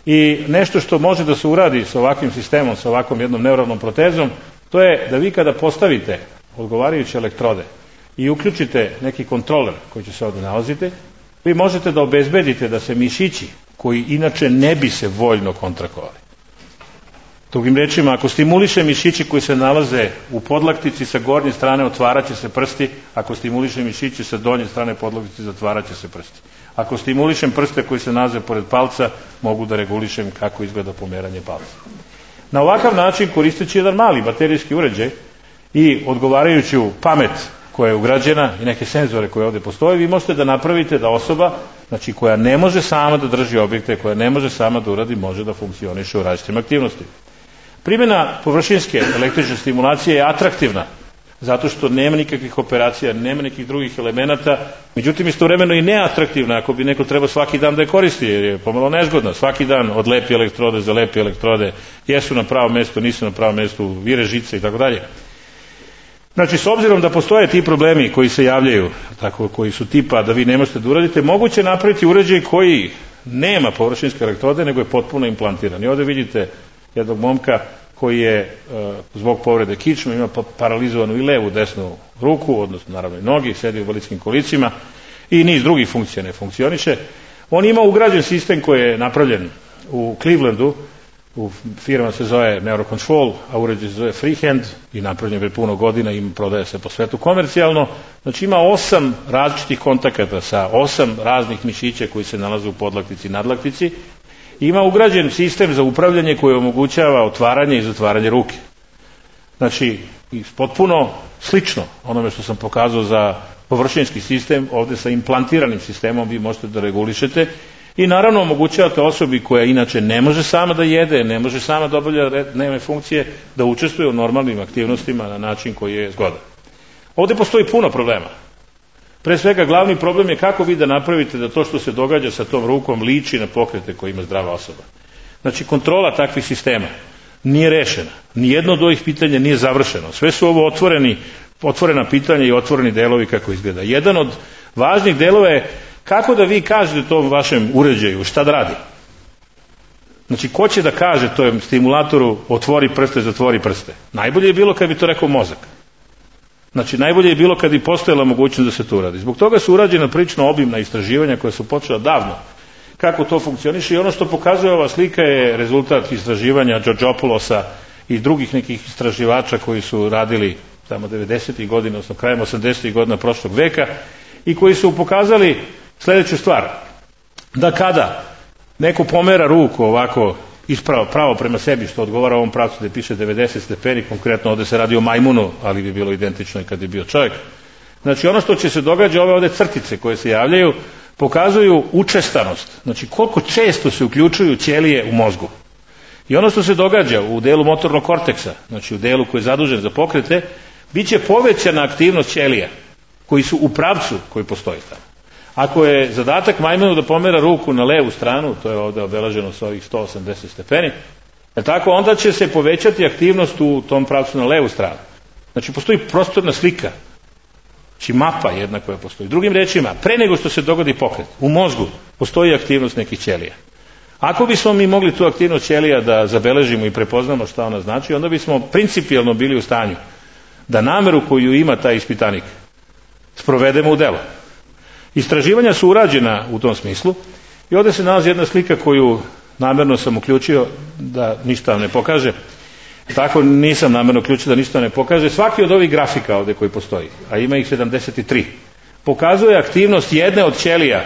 i nešto što može da se uradi sa ovakvim sistemom, sa ovakvom jednom neuralnom protezom, to je da vi kada postavite odgovarajuće elektrode i uključite neki kontroler koji će se ovdje nalaziti, vi možete da obezbedite da se mišići koji inače ne bi se voljno kontrakovali. Drugim rečima, ako stimuliše mišići koji se nalaze u podlaktici, sa gornje strane otvarat će se prsti, ako stimuliše mišići sa donje strane podlaktici, zatvarat će se prsti. Ako stimulišem prste koji se nalaze pored palca, mogu da regulišem kako izgleda pomeranje palca. Na ovakav način, koristeći jedan mali baterijski uređaj i odgovarajuću pamet koja je ugrađena i neke senzore koje ovdje postoje, vi možete da napravite da osoba, znači koja ne može sama da drži objekte, koja ne može sama da uradi, može da funkcioniše u različitim aktivnostima. Primjena površinske električne stimulacije je atraktivna, zato što nema nikakvih operacija, nema nekih drugih elemenata, međutim istovremeno i neatraktivna ako bi neko trebao svaki dan da je koristi, jer je pomalo nezgodna. Svaki dan odlepi elektrode, zalepi elektrode, jesu na pravom mjestu, nisu na pravom mjestu, vire žice i tako dalje. Znači, s obzirom da postoje ti problemi koji se javljaju, tako, koji su tipa da vi ne možete da uradite, moguće je napraviti uređaj koji nema površinske elektrode, nego je potpuno implantiran. I ovdje vidite jednog momka koji je zbog povrede kičme ima paralizovanu i levu desnu ruku, odnosno naravno i nogi, sedi u invalidskim kolicima i niz drugih funkcija ne funkcioniše. On ima ugrađen sistem koji je napravljen u Clevelandu, u firma se zove Neurocontrol, a uređaj se zove Freehand i napravljen je puno godina i prodaje se po svetu komercijalno. Znači ima 8 različitih kontakata sa 8 raznih mišića koji se nalaze u podlaktici i nadlaktici. Ima ugrađen sistem za upravljanje koji omogućava otvaranje i zatvaranje ruke. Znači, potpuno slično onome što sam pokazao za površinski sistem, ovdje sa implantiranim sistemom vi možete da regulišete i naravno omogućavate osobi koja inače ne može sama da jede, ne može sama da obavlja dnevne funkcije, da učestvuje u normalnim aktivnostima na način koji je zgodan. Ovdje postoji puno problema. Pre svega, glavni problem je kako vi da napravite da to što se događa sa tom rukom liči na pokrete koje ima zdrava osoba. Znači, kontrola takvih sistema nije rešena. Nijedno od ovih pitanja nije završeno. Sve su ovo otvorena pitanja i otvoreni delovi kako izgleda. Jedan od važnih delova je kako da vi kažete tom vašem uređaju šta da radi. Znači, ko će da kaže tom stimulatoru otvori prste, zatvori prste? Najbolje je bilo kad bi to rekao mozak. Znači, najbolje je bilo kad bi postojala mogućnost da se to uradi. Zbog toga su urađena prilično obimna istraživanja koja su počela davno kako to funkcioniše i ono što pokazuje ova slika je rezultat istraživanja Georgopoulosa i drugih nekih istraživača koji su radili tamo 90. godina, odnosno krajem 80. godina prošlog veka i koji su pokazali sljedeću stvar. Da kada neko pomera ruku ovako ispravo, pravo prema sebi, što odgovara ovom pravcu gdje piše 90 stepeni, konkretno ovdje se radi o majmunu, ali bi bilo identično i kad je bio čovjek. Znači, ono što će se događa, ove ovdje crtice koje se javljaju, pokazuju učestanost. Znači, koliko često se uključuju ćelije u mozgu. I ono što se događa u delu motornog korteksa, znači u delu koji je zadužen za pokrete, bit će povećana aktivnost ćelija koji su u pravcu koji postoji tamo. Ako je zadatak majmunu da pomera ruku na levu stranu, to je ovdje obeleženo sa ovih 180 stepeni, tako, onda će se povećati aktivnost u tom pravcu na levu stranu. Znači, postoji prostorna slika, znači mapa jedna koja postoji. Drugim rečima, pre nego što se dogodi pokret, u mozgu postoji aktivnost nekih ćelija. Ako bismo mi mogli tu aktivnost ćelija da zabeležimo i prepoznamo šta ona znači, onda bismo principijelno bili u stanju da nameru koju ima taj ispitanik sprovedemo u delo. Istraživanja su urađena u tom smislu i ovdje se nalazi jedna slika koju namjerno sam uključio da ništa vam ne pokaže. Tako nisam namjerno uključio da ništa ne pokaže. Svaki od ovih grafika ovdje koji postoji, a ima ih 73, pokazuje aktivnost jedne od ćelija,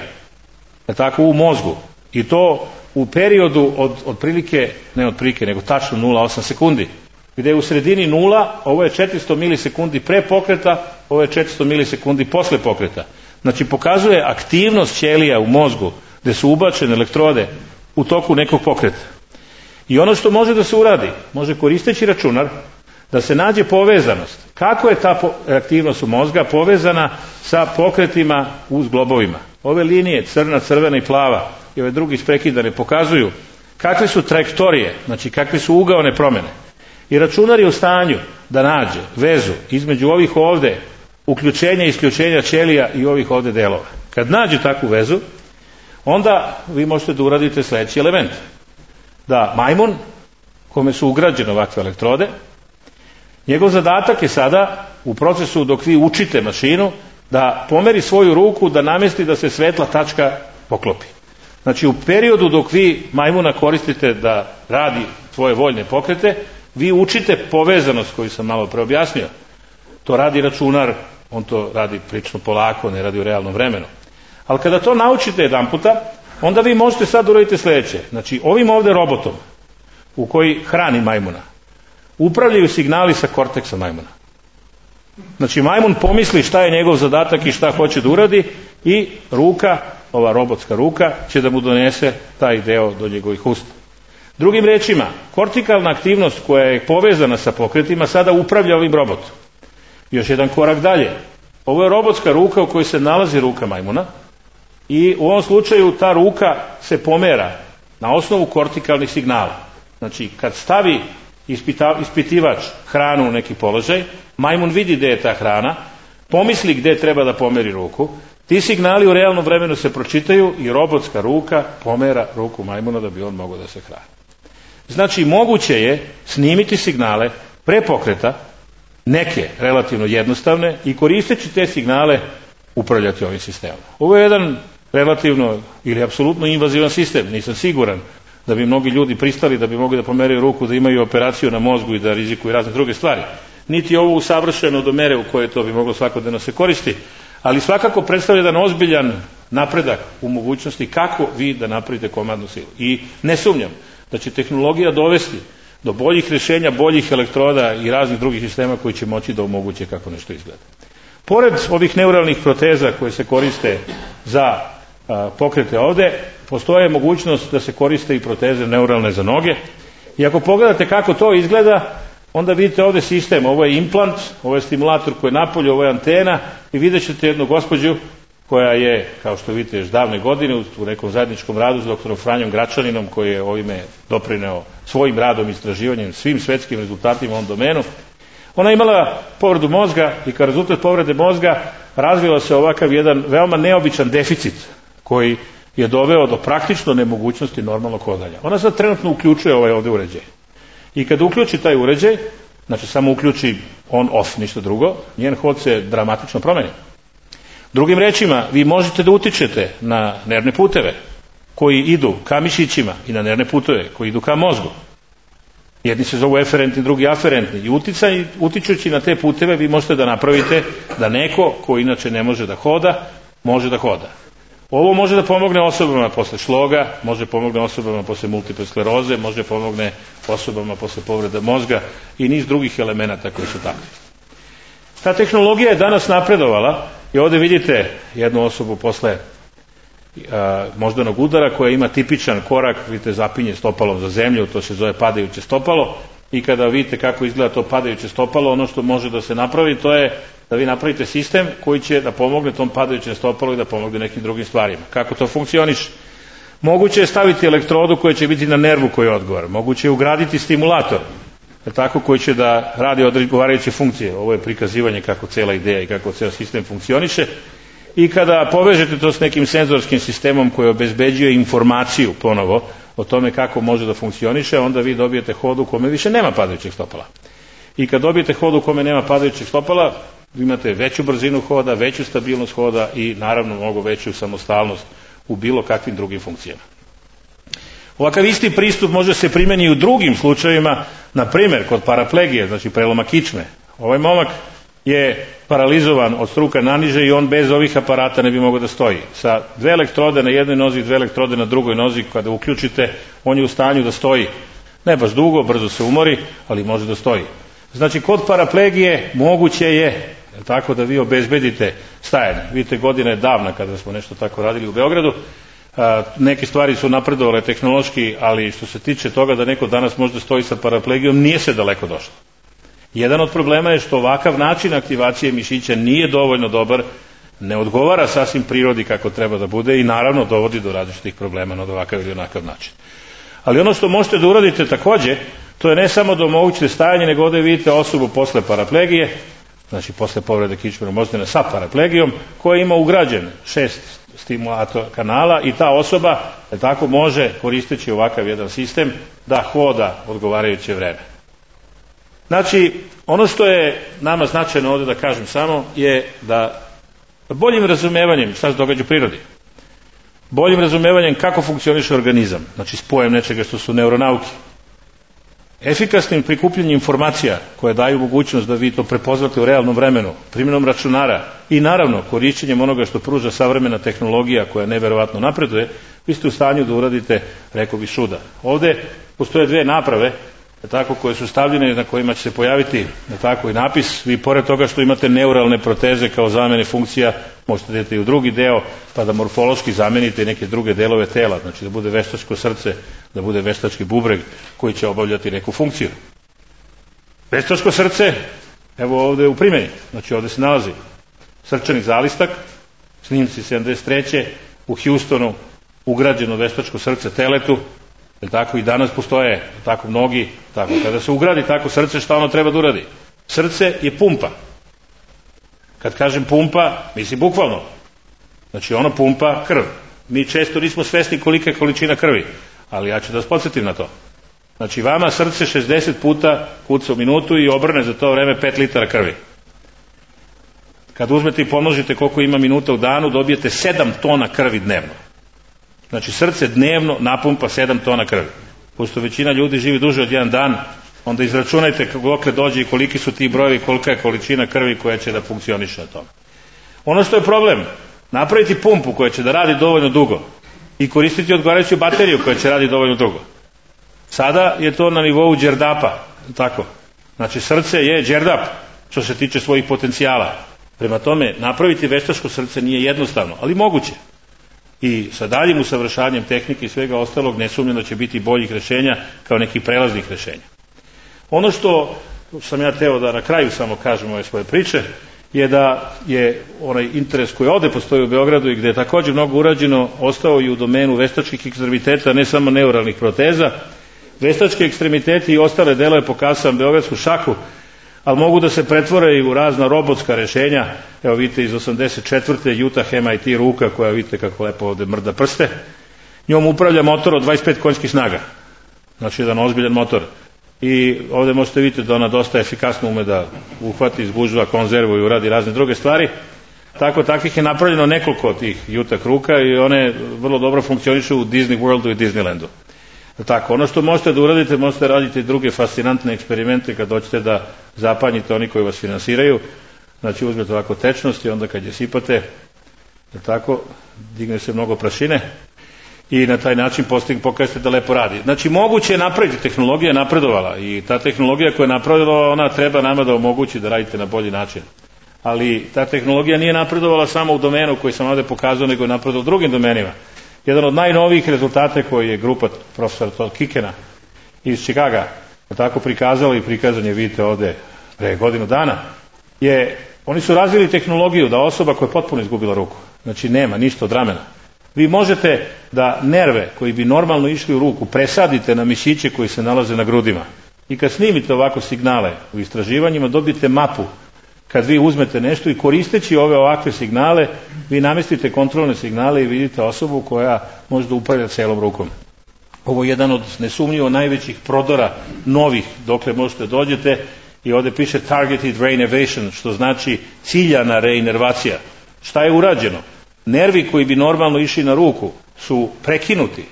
tako, u mozgu, i to u periodu od otprilike, ne otprilike, nego tačno 0,8 sekundi, gdje je u sredini 0, ovo je 400 milisekundi pre pokreta, ovo je 400 milisekundi posle pokreta. Znači pokazuje aktivnost ćelija u mozgu gdje su ubačene elektrode u toku nekog pokreta. I ono što može da se uradi, može koristeći računar da se nađe povezanost. Kako je ta aktivnost u mozga povezana sa pokretima u zglobovima? Ove linije, crna, crvena i plava, i ove drugi isprekidane, pokazuju kakve su trajektorije, znači kakve su ugaone promjene. I računar je u stanju da nađe vezu između ovih ovde uključenja i isključenja ćelija i ovih ovde delova. Kad nađe takvu vezu, onda vi možete da uradite sljedeći element. Da majmun, kome su ugrađene ovakve elektrode, njegov zadatak je sada u procesu dok vi učite mašinu da pomeri svoju ruku, da namesti da se svetla tačka poklopi. Znači u periodu dok vi majmuna koristite da radi svoje voljne pokrete, vi učite povezanost koju sam malo pre objasnio. To radi računar, on to radi prilično polako, ne radi u realnom vremenu. Ali kada to naučite jedan puta, onda vi možete sad uraditi sljedeće. Znači ovim ovdje robotom u koji hrani majmuna upravljaju signali sa korteksa majmuna. Znači majmun pomisli šta je njegov zadatak i šta hoće da uradi i ruka, ova robotska ruka, će da mu donese taj deo do njegovih usta. Drugim rečima, kortikalna aktivnost koja je povezana sa pokretima sada upravlja ovim robotom. Još jedan korak dalje. Ovo je robotska ruka u kojoj se nalazi ruka majmuna i u ovom slučaju ta ruka se pomera na osnovu kortikalnih signala. Znači kad stavi ispitivač hranu u neki položaj, majmun vidi gdje je ta hrana, pomisli gdje treba da pomeri ruku, ti signali u realnom vremenu se pročitaju i robotska ruka pomera ruku majmuna da bi on mogao da se hrani. Znači moguće je snimiti signale pre pokreta, neke relativno jednostavne, i koristeći te signale upravljati ovim sistemom. Ovo je jedan relativno ili apsolutno invazivan sistem, nisam siguran da bi mnogi ljudi pristali da bi mogli da pomeraju ruku, da imaju operaciju na mozgu i da rizikuju razne druge stvari. Niti je ovo usavršeno do mere u kojoj to bi moglo svakodnevno se koristi, ali svakako predstavlja jedan ozbiljan napredak u mogućnosti kako vi da napravite komandnu silu. I ne sumnjam da će tehnologija dovesti do boljih rješenja, boljih elektroda i raznih drugih sistema koji će moći da omoguće kako nešto izgleda. Pored ovih neuralnih proteza koje se koriste za pokrete ovde, postoje mogućnost da se koriste i proteze neuralne za noge. I ako pogledate kako to izgleda, onda vidite ovdje sistem. Ovo je implant, ovo je stimulator koji je napolje, ovo je antena i vidjet ćete jednu gospođu koja je, kao što vidite, još davne godine u nekom zajedničkom radu s doktorom Franjom Gračaninom, koji je ovime doprineo svojim radom i istraživanjem svim svetskim rezultatima u ovom domenu. Ona je imala povredu mozga i kao rezultat povrede mozga razvila se ovakav jedan veoma neobičan deficit koji je doveo do praktično nemogućnosti normalnog hodanja. Ona sad trenutno uključuje ovaj ovdje uređaj. I kad uključi taj uređaj, znači samo uključi on off, ništa drugo, njen hod se dramatično promeni. Drugim rečima, vi možete da utičete na nervne puteve koji idu ka mišićima i na nervne puteve koji idu ka mozgu. Jedni se zovu eferentni, drugi aferentni. I utičući na te puteve vi možete da napravite da neko ko inače ne može da hoda, može da hoda. Ovo može da pomogne osobama posle šloga, može pomogne osobama posle multiple skleroze, može pomogne osobama posle povrede mozga i niz drugih elemenata koji su takvi. Ta tehnologija je danas napredovala i ovdje vidite jednu osobu posle moždanog udara koja ima tipičan korak, vidite, zapinje stopalom za zemlju, to se zove padajuće stopalo, i kada vidite kako izgleda to padajuće stopalo, ono što može da se napravi to je da vi napravite sistem koji će da pomogne tom padajućem stopalu i da pomogne nekim drugim stvarima. Kako to funkcioniše? Moguće je staviti elektrodu koja će biti na nervu koji odgovara, moguće je ugraditi stimulator, tako, koji će da radi odgovarajuće funkcije. Ovo je prikazivanje kako cijela ideja i kako cijel sistem funkcioniše. I kada povežete to s nekim senzorskim sistemom koji obezbeđuje informaciju ponovo o tome kako može da funkcioniše, onda vi dobijete hod u kome više nema padajućeg stopala. I kad dobijete hod u kome nema padajućeg stopala, vi imate veću brzinu hoda, veću stabilnost hoda i naravno mnogo veću samostalnost u bilo kakvim drugim funkcijama. Ovakav isti pristup može se primjeni i u drugim slučajevima, na primjer kod paraplegije, znači preloma kičme. Ovaj momak je paralizovan od struka naniže i on bez ovih aparata ne bi mogao da stoji. Sa 2 elektrode na jednoj nozi i 2 elektrode na drugoj nozi, kada uključite, on je u stanju da stoji. Ne baš dugo, brzo se umori, ali može da stoji. Znači, kod paraplegije moguće je tako da vi obezbedite stajanje. Vidite, godina je davna kada smo nešto tako radili u Beogradu. Neke stvari su napredovale tehnološki, ali što se tiče toga da neko danas može da stoji sa paraplegijom, nije se daleko došlo. Jedan od problema je što ovakav način aktivacije mišića nije dovoljno dobar, ne odgovara sasvim prirodi kako treba da bude i naravno dovodi do različitih problema na ovakav ili onakav način. Ali ono što možete da uradite takođe, to je ne samo da omogućite stajanje, nego ovde vidite osobu posle paraplegije, znači posle povrede kičmenog mozgana sa paraplegijom, koja ima ugrađen 6 stimulator kanala i ta osoba tako može, koristeći ovakav jedan sistem, da hoda odgovarajuće vreme. Znači, ono što je nama značajno ovde da kažem samo je da boljim razumevanjem šta se događa u prirodi, boljim razumevanjem kako funkcioniše organizam, znači spojem nečega što su neuronauke, efikasnim prikupljanjem informacija koje daju mogućnost da vi to prepoznate u realnom vremenu, primjenom računara i naravno korišćenjem onoga što pruža savremena tehnologija koja neverovatno napreduje, vi ste u stanju da uradite, rekao bih, čuda. Ovde postoje 2 naprave tako, koje su stavljene, na kojima će se pojaviti tako i napis. Vi pored toga što imate neuralne proteze kao zamene funkcija, možete da idete i u drugi deo pa da morfološki zamenite i neke druge delove tela, znači da bude veštačko srce, da bude veštački bubreg koji će obavljati neku funkciju. Veštačko srce, evo ovde u primjeni, znači ovde se nalazi srčani zalistak, snimci 73. u Houstonu, ugrađeno veštačko srce teletu. Tako i danas postoje tako mnogi, tako kada se ugradi tako srce, šta ono treba da uradi? Srce je pumpa. Kad kažem pumpa, mislim bukvalno. Znači ono pumpa krv. Mi često nismo svesni kolika je količina krvi, ali ja ću da vas podsjetim na to. Znači vama srce 60 puta kuca u minutu i obrne za to vreme 5 litara krvi. Kad uzmete i pomnožite koliko ima minuta u danu, dobijete 7 tona krvi dnevno. Znači srce dnevno napumpa 7 tona krvi. Pošto većina ljudi živi duže od 1 dan, onda izračunajte dokle dođe i koliki su ti brojevi, kolika je količina krvi koja će da funkcioniše na tome. Ono što je problem, napraviti pumpu koja će da radi dovoljno dugo i koristiti odgovarajuću bateriju koja će radi dovoljno dugo. Sada je to na nivou đerdapa, tako. Znači srce je đerdap što se tiče svojih potencijala. Prema tome, napraviti veštačko srce nije jednostavno, ali moguće. I sa daljim usavršavanjem tehnike i svega ostalog nesumnjeno će biti boljih rešenja kao nekih prelaznih rešenja. Ono što sam ja teo da na kraju samo kažem ove svoje priče je da je onaj interes koji ovde postoji u Beogradu i gde je također mnogo urađeno ostao i u domenu veštačkih ekstremiteta, ne samo neuralnih proteza. Veštački ekstremiteti i ostale delove, pokazao sam beogradsku šaku, ali mogu da se pretvore i u razna robotska rešenja. Evo vidite iz 84. Utah MIT ruka koja vidite kako lepo ovde mrda prste. Njom upravlja motor od 25 konjskih snaga. Znači jedan ozbiljan motor. I ovde možete vidjeti da ona dosta efikasno ume da uhvati, izgužva, konzervu i uradi razne druge stvari. Takvih je napravljeno nekoliko od tih Utah ruka i one vrlo dobro funkcionišu u Disney Worldu i Disneylandu. Tako, ono što možete da uradite, možete raditi druge fascinantne eksperimente kad hoćete da zapanjite oni koji vas finansiraju. Znači uzmete ovako tečnost i onda kad je sipate, tako, digne se mnogo prašine i na taj način pokažete da lepo radi. Znači moguće je napraviti, tehnologija je napredovala i ta tehnologija koja je napredovala, ona treba nama da omogući da radite na bolji način. Ali ta tehnologija nije napredovala samo u domenu koji sam ovde pokazao, nego je napredovala u drugim domenima. Jedan od najnovijih rezultata koji je grupa profesora Todd Kikena iz Chicaga tako prikazala i prikazan je, vidite ovde, pre godinu dana, je, oni su razvili tehnologiju da osoba koja je potpuno izgubila ruku, znači nema ništa od ramena, vi možete da nerve koji bi normalno išli u ruku presadite na mišiće koji se nalaze na grudima i kad snimite ovako signale u istraživanjima dobijete mapu. Kad vi uzmete nešto i koristeći ovakve signale, vi namestite kontrolne signale i vidite osobu koja može da upravlja celom rukom. Ovo je jedan od nesumnjivo najvećih prodora novih dokle možete dođete i ovde piše targeted reinnervation, što znači ciljana reinervacija. Šta je urađeno? Nervi koji bi normalno išli na ruku su prekinuti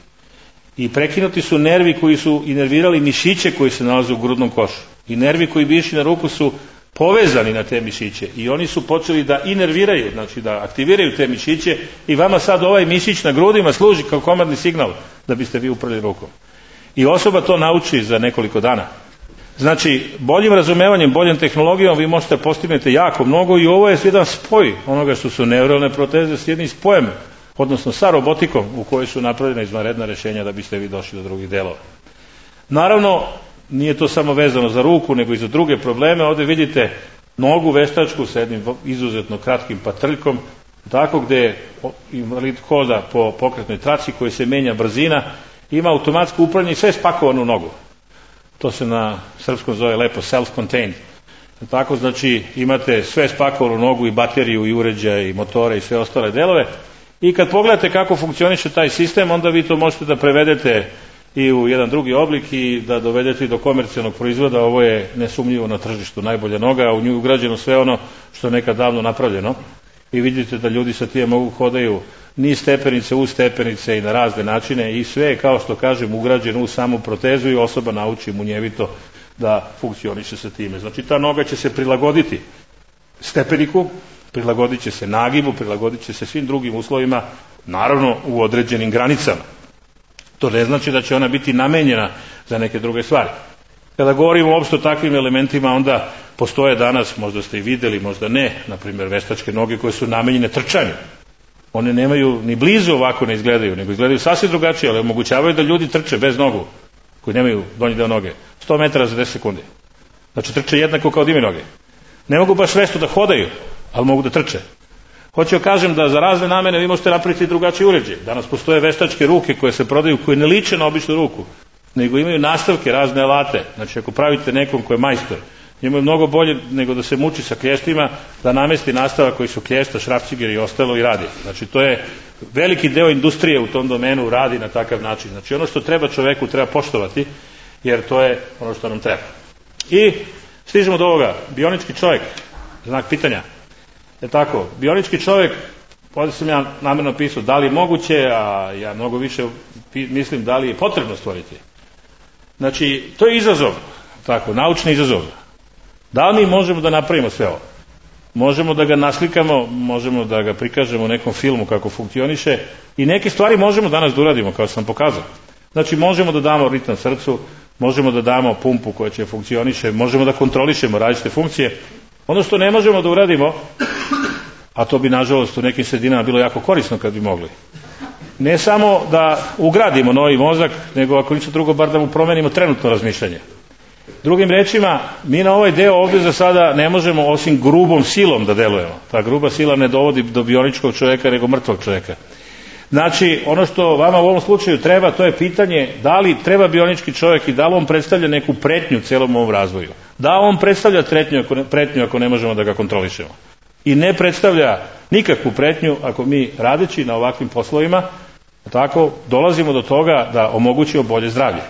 i prekinuti su nervi koji su inervirali mišiće koji se nalaze u grudnom košu i nervi koji bi išli na ruku su povezani na te mišiće i oni su počeli da inerviraju, znači da aktiviraju te mišiće i vama sad ovaj mišić na grudima služi kao komandni signal da biste vi upravili rukom. I osoba to nauči za nekoliko dana. Znači, boljim razumevanjem, boljom tehnologijom vi možete postignete jako mnogo i ovo je jedan spoj onoga što su neuralne proteze s jednim spojem, odnosno sa robotikom u kojoj su napravljena izvanredna rješenja da biste vi došli do drugih delova. Naravno, nije to samo vezano za ruku, nego i za druge probleme. Ovdje vidite nogu veštačku sa jednim izuzetno kratkim patrljkom, tako gdje invalid hoda po pokretnoj traci koji se menja brzina, ima automatsko upravljanje i sve spakovano u nogu. To se na srpskom zove lepo self-contained. Tako znači imate sve spakovano u nogu i bateriju i uređaje i motore i sve ostale delove. I kad pogledate kako funkcioniše taj sistem, onda vi to možete da prevedete i u jedan drugi oblik i da dovedete do komercijalnog proizvoda. Ovo je nesumnjivo na tržištu najbolja noga, a u nju je ugrađeno sve ono što je nekad davno napravljeno. I vidite da ljudi sa tije mogu hodaju niz stepenice u stepenice i na razne načine i sve je, kao što kažem, ugrađeno u samu protezu i osoba nauči munjevito da funkcioniše sa time. Znači ta noga će se prilagoditi stepeniku, prilagodit će se nagibu, prilagodit će se svim drugim uslovima, naravno u određenim granicama. To ne znači da će ona biti namenjena za neke druge stvari. Kada govorimo uopšte o takvim elementima, onda postoje danas, možda ste i vidjeli, možda ne, na primjer veštačke noge koje su namenjene trčanju. One nemaju, ni blizu ovako ne izgledaju, nego izgledaju sasvim drugačije, ali omogućavaju da ljudi trče bez nogu, koji nemaju donji deo noge, 100 metara za 10 sekundi. Znači trče jednako kao da imaju noge. Ne mogu baš vešto da hodaju, ali mogu da trče. Hoću kažem da za razne namene vi možete napraviti drugačiji uređaj. Danas postoje veštačke ruke koje se prodaju, koje ne liče na običnu ruku, nego imaju nastavke, razne alate. Znači ako pravite nekom ko je majstor, njemu je mnogo bolje nego da se muči sa klještima, da namesti nastavak koji su klješta, šrafciger i ostalo i radi. Znači to je veliki deo industrije u tom domenu radi na takav način. Znači ono što treba čoveku treba poštovati, jer to je ono što nam treba. I stižemo do ovoga, bionički čovjek, znak pitanja. Tako, bionički čovjek, ovdje sam ja namjerno pisao da li je moguće, a ja mnogo više mislim da li je potrebno stvoriti. Znači, to je izazov, tako, naučni izazov. Da li mi možemo da napravimo sve ovo? Možemo da ga naslikamo, možemo da ga prikažemo u nekom filmu kako funkcioniše i neke stvari možemo danas da uradimo, kao sam pokazao. Znači, možemo da damo ritam srcu, možemo da damo pumpu koja će funkcioniše, možemo da kontrolišemo različite funkcije. Ono što ne možemo da uradimo, a to bi nažalost u nekim sredinama bilo jako korisno kad bi mogli, ne samo da ugradimo novi mozak, nego ako ništa drugo, bar da mu promenimo trenutno razmišljanje. Drugim rečima, mi na ovaj deo ovdje za sada ne možemo osim grubom silom da delujemo. Ta gruba sila ne dovodi do bioničkog čovjeka, nego mrtvog čovjeka. Znači, ono što vama u ovom slučaju treba, to je pitanje da li treba bionički čovjek i da li on predstavlja neku pretnju celom ovom razvoju. Da on predstavlja pretnju ako ne možemo da ga kontrolišemo. I ne predstavlja nikakvu pretnju ako mi radeći na ovakvim poslovima, tako dolazimo do toga da omogućimo bolje zdravlje.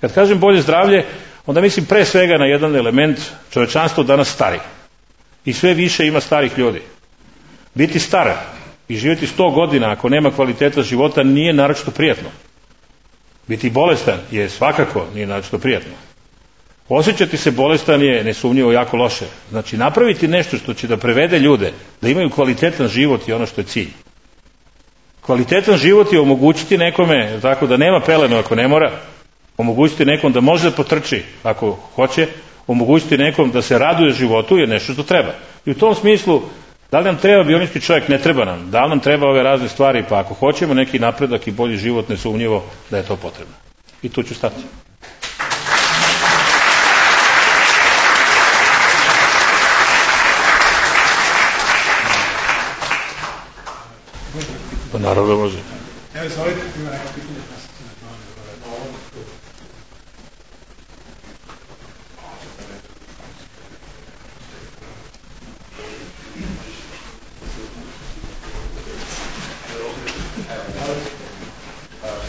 Kad kažem bolje zdravlje, onda mislim pre svega na jedan element, čovečanstvo danas stari. I sve više ima starih ljudi. Biti star i živjeti 100 godina ako nema kvaliteta života nije naročito prijatno. Biti bolestan je svakako nije naročito prijatno. Osjećati se bolestan je nesumnjivo jako loše. Znači napraviti nešto što će da prevede ljude, da imaju kvalitetan život je ono što je cilj. Kvalitetan život je omogućiti nekome, tako da nema pelenu ako ne mora, omogućiti nekom da može da potrči ako hoće, omogućiti nekom da se raduje životu je nešto što treba. I u tom smislu, da li nam treba bionički čovjek? Ne treba nam. Da li nam treba ove razne stvari? Pa ako hoćemo neki napredak i bolji život, nesumnjivo da je to potrebno. I tu ću stati. Pa naravno može.
Evo, izvolite, ima neka pitanja pa se ti na tome.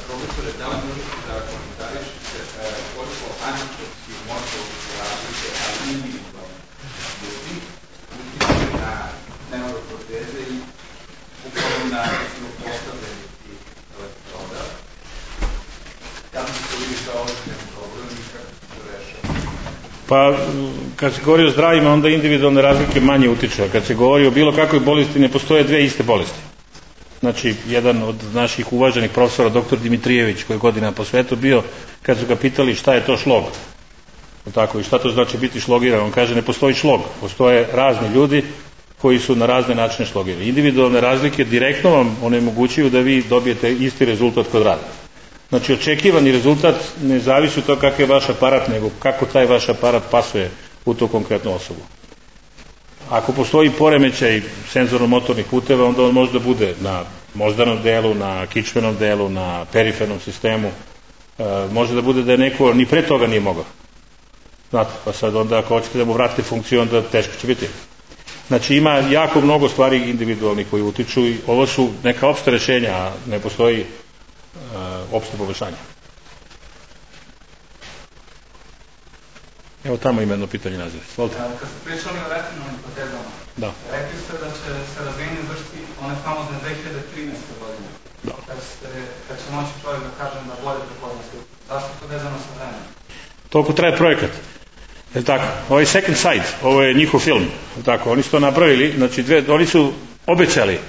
Profesore, da li možete da komentarišete koliko anatomskih motorskih razlike, ali individualno ljudi, utiče na neuroproteze i upravo na postavljanje tih elektroda,
Pa, kad se govori o zdravima, onda individualne razlike manje utiču, a kad se govori o bilo kakvoj bolesti, ne postoje dve iste bolesti. Znači, jedan od naših uvaženih profesora, dr. Dimitrijević, koji je godina po svetu bio, kad su ga pitali šta je to šlog, tako, i šta to znači biti šlogiran, on kaže ne postoji šlog, postoje razni ljudi koji su na razne načine šlogirani. Individualne razlike direktno vam onemogućuju da vi dobijete isti rezultat kod rada. Znači, očekivani rezultat ne zavisi od toga kakav je vaš aparat, nego kako taj vaš aparat pasuje u tu konkretnu osobu. Ako postoji poremećaj senzorno-motornih puteva, onda on može da bude na moždanom delu, na kičmenom delu, na perifernom sistemu. Može da bude da je neko ni pre toga nije mogao. Znate, pa sad onda ako hoćete da mu vratite funkciju, onda teško će biti. Znači, ima jako mnogo stvari individualnih koji utiču i ovo su neka opšta rešenja, a ne postoji opšte poboljšanje. Evo tamo ima jedno pitanje naziv. Svolite.
Kad ste pričali o retinalnim protezama, rekli ste da će se razvijenje vršiti one famozne 2013. godine. Kad će moći čovjek da kažem da bolje prepoznaste. Zašto je to vezano sa vremenom?
Toliko traje projekat. Je tako? Ovo je Second Sight, ovo je njihov film. Je tako? Oni su to napravili, znači oni su obećali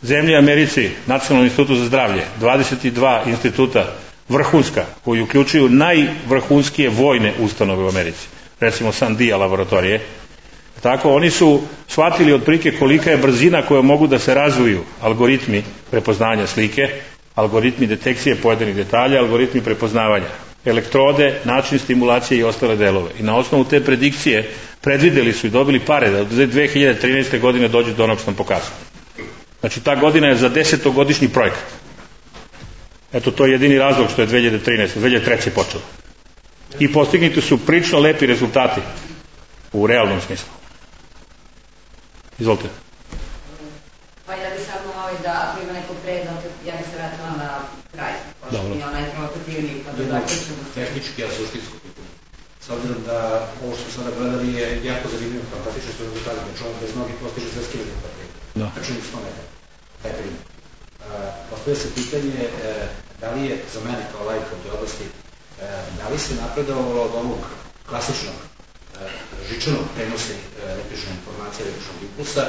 zemlji Americi, Nacionalnom institutu za zdravlje, 22 instituta vrhunska, koji uključuju najvrhunskije vojne ustanove u Americi. Recimo Sandia laboratorije. Tako, oni su shvatili otprilike kolika je brzina koju mogu da se razviju algoritmi prepoznanja slike, algoritmi detekcije pojedinih detalja, algoritmi prepoznavanja, elektrode, način stimulacije i ostale delove. I na osnovu te predikcije predvideli su i dobili pare da do 2013. godine dođu do onog što sam pokazao. Znači, ta godina je za 10-godišnji projekat. Eto, to je jedini razlog što je 2003. počelo. I postignuti su prilično lepi rezultati u realnom smislu. Izvolite.
Pa ja bi samo da ako ima neko predlog, ja bi se vratila na kraj, pošto mi je onaj provokativni, pa da ćemo...
Tehnički, a suštinsko pitanje. S obzirom da ovo što sada gledali je jako zanimljivo, fantastično što rezultati, da čovjek bez mnogih postiže svetski rezultati. Računi 100 metara, taj primjer. Postoje se pitanje da li je za mene kao lajka u toj oblasti, da li se napredovalo od ovog klasičnog žičanog prenosa električne informacije, električnog impulsa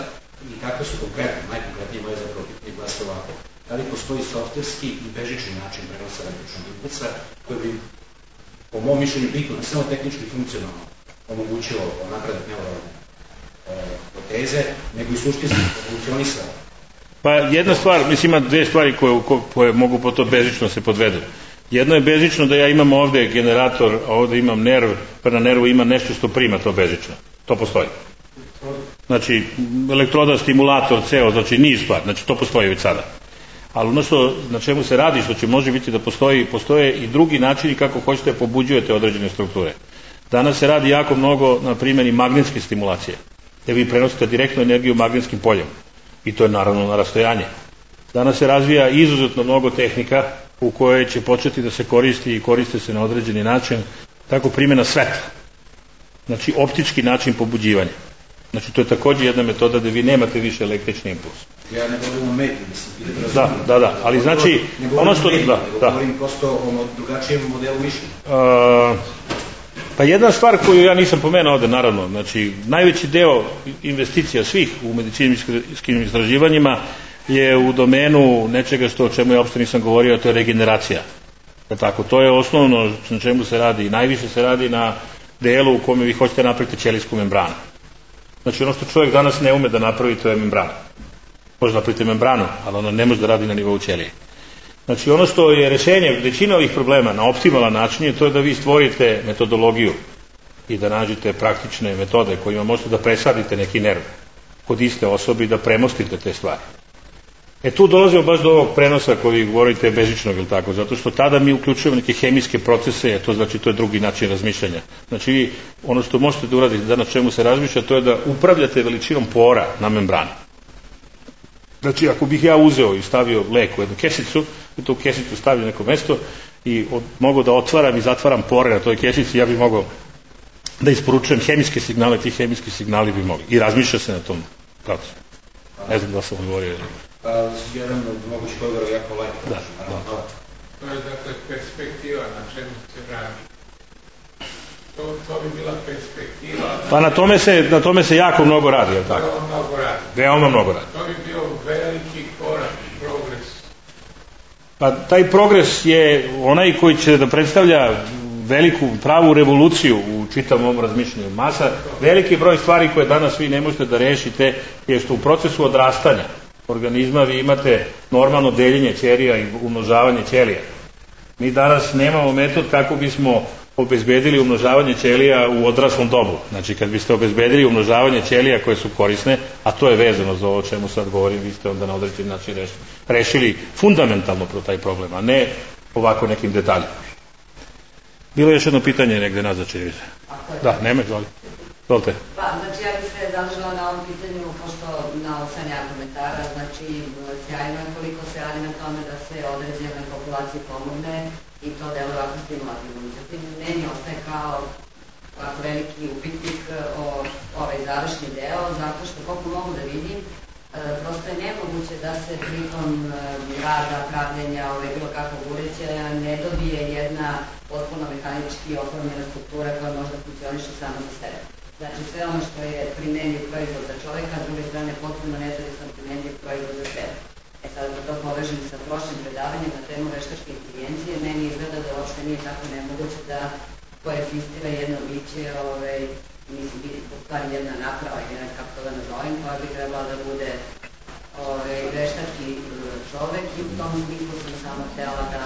i kakve su konkretno, najkonkretnije moje zapravo pitanje glasa ovako. Da li postoji softverski i bežični način prenosa električnog impulsa koji bi, po mom mišljenju, bitno, ne samo tehnički funkcionalno omogućilo napredak neuralne proteze, nego i suštinski funkcionisao.
Pa jedna stvar, mislim ima dve stvari koje mogu po to bežično se podvedu. Jedno je bežično da ja imam ovde generator, a ovde imam nerv, pa na nervu ima nešto što prima to bežično. To postoji. Znači, elektroda, stimulator, ceo, znači niz stvar, znači to postoji već sada. Ali ono što, na čemu se radi, što će može biti da postoje i drugi načini kako hoćete da pobuđujete određene strukture. Danas se radi jako mnogo na primjeni magnetske stimulacije, gde vi prenosite direktnu energiju magnetskim poljem. I to je naravno na rastojanje. Danas se razvija izuzetno mnogo tehnika u kojoj će početi da se koristi i koriste se na određeni način, tako primjena svetla. Znači optički način pobuđivanja. Znači to je također jedna metoda da vi nemate više električni impuls.
Ja ne govorim o mediji, mislim.
Da, ali znači ono što...
Ne govorim prosto o drugačijem modelu mišljenja.
Pa jedna stvar koju ja nisam pomenuo ovde, naravno, znači najveći deo investicija svih u medicinskim istraživanjima je u domenu nečega o čemu ja uopšte nisam govorio, a to je regeneracija. Tako, to je osnovno na čemu se radi. Najviše se radi na delu u kome vi hoćete napraviti ćelijsku membranu. Znači ono što čovjek danas ne ume da napravi, to je membrana. Može napraviti membranu, ali ona ne može da radi na nivou ćelije. Znači ono što je rešenje većina ovih problema na optimalan način je to da vi stvorite metodologiju i da nađete praktične metode kojima možete da presadite neki nerv kod iste osobe i da premostite te stvari. Tu dolazimo baš do ovog prenosa koji govorite bežičnog, ili tako, zato što tada mi uključujemo neke hemijske procese, to znači to je drugi način razmišljanja. Znači vi ono što možete da uradite da na čemu se razmišlja, to je da upravljate veličinom pora na membrani. Znači ako bih ja uzeo i stavio lek u jednu kesicu i tu kesicu stavio neko mesto i mogu da otvaram i zatvaram pore na toj kesici, ja bih mogao da isporučujem hemijske signale, ti hemijski signali bi mogli. I razmišlja se na tom procesu. Ne znam da sam odgovorio.
Jedan od mogućih odgovora je jako lajka.
Da.
To je dakle perspektiva na čemu se radi. To bi bila perspektiva.
Pa na tome se jako mnogo radi, je li tako? Veoma mnogo radi.
To bi bio veliki korak, progres.
Pa taj progres je onaj koji će da predstavlja veliku pravu revoluciju u čitavom ovom razmišljanju masa. Veliki broj stvari koje danas vi ne možete da rešite je što u procesu odrastanja organizma vi imate normalno deljenje ćelija i umnožavanje ćelija. Mi danas nemamo metod kako bismo obezbedili umnožavanje ćelija u odraslom dobu. Znači kad biste obezbedili umnožavanje ćelija koje su korisne, a to je vezano za ovo o čemu sad govorim, vi ste onda na određen način rešili fundamentalno taj problem, a ne ovako nekim detaljima. Bilo je još jedno pitanje negde nazad, čini mi se. Da, nema, izvolite.
Pa, znači ja bih se zadržala na ovom pitanju, pošto na osanja komentara, znači sjajno je koliko se radi na tome da se određenoj populaciji pomogne i to deluje ovako stimulativno. Međutim, meni ostaje kao ovako veliki upitnik ovaj završni deo, zato što koliko mogu da vidim, prosto je nemoguće da se pritom rada, pravljenja, bilo kakvog uređaja ne dobije jedna potpuno mehanički oformljena struktura koja možda funkcioniše samo za sebe. Znači sve ono što je primenjiv proizvod za čoveka, s druge strane potpuno nezavisno primenjiv proizvod za sebe. Sad da to povežem sa prošlim predavanjem na temu veštačke inteligencije, meni izgleda da uopšte nije tako nemoguće da koegzistira jedno biće, mislim, u stvari jedna naprava, ili kako to da nazovem, koja bi trebala da bude veštački čovek i u tom smislu sam samo htela da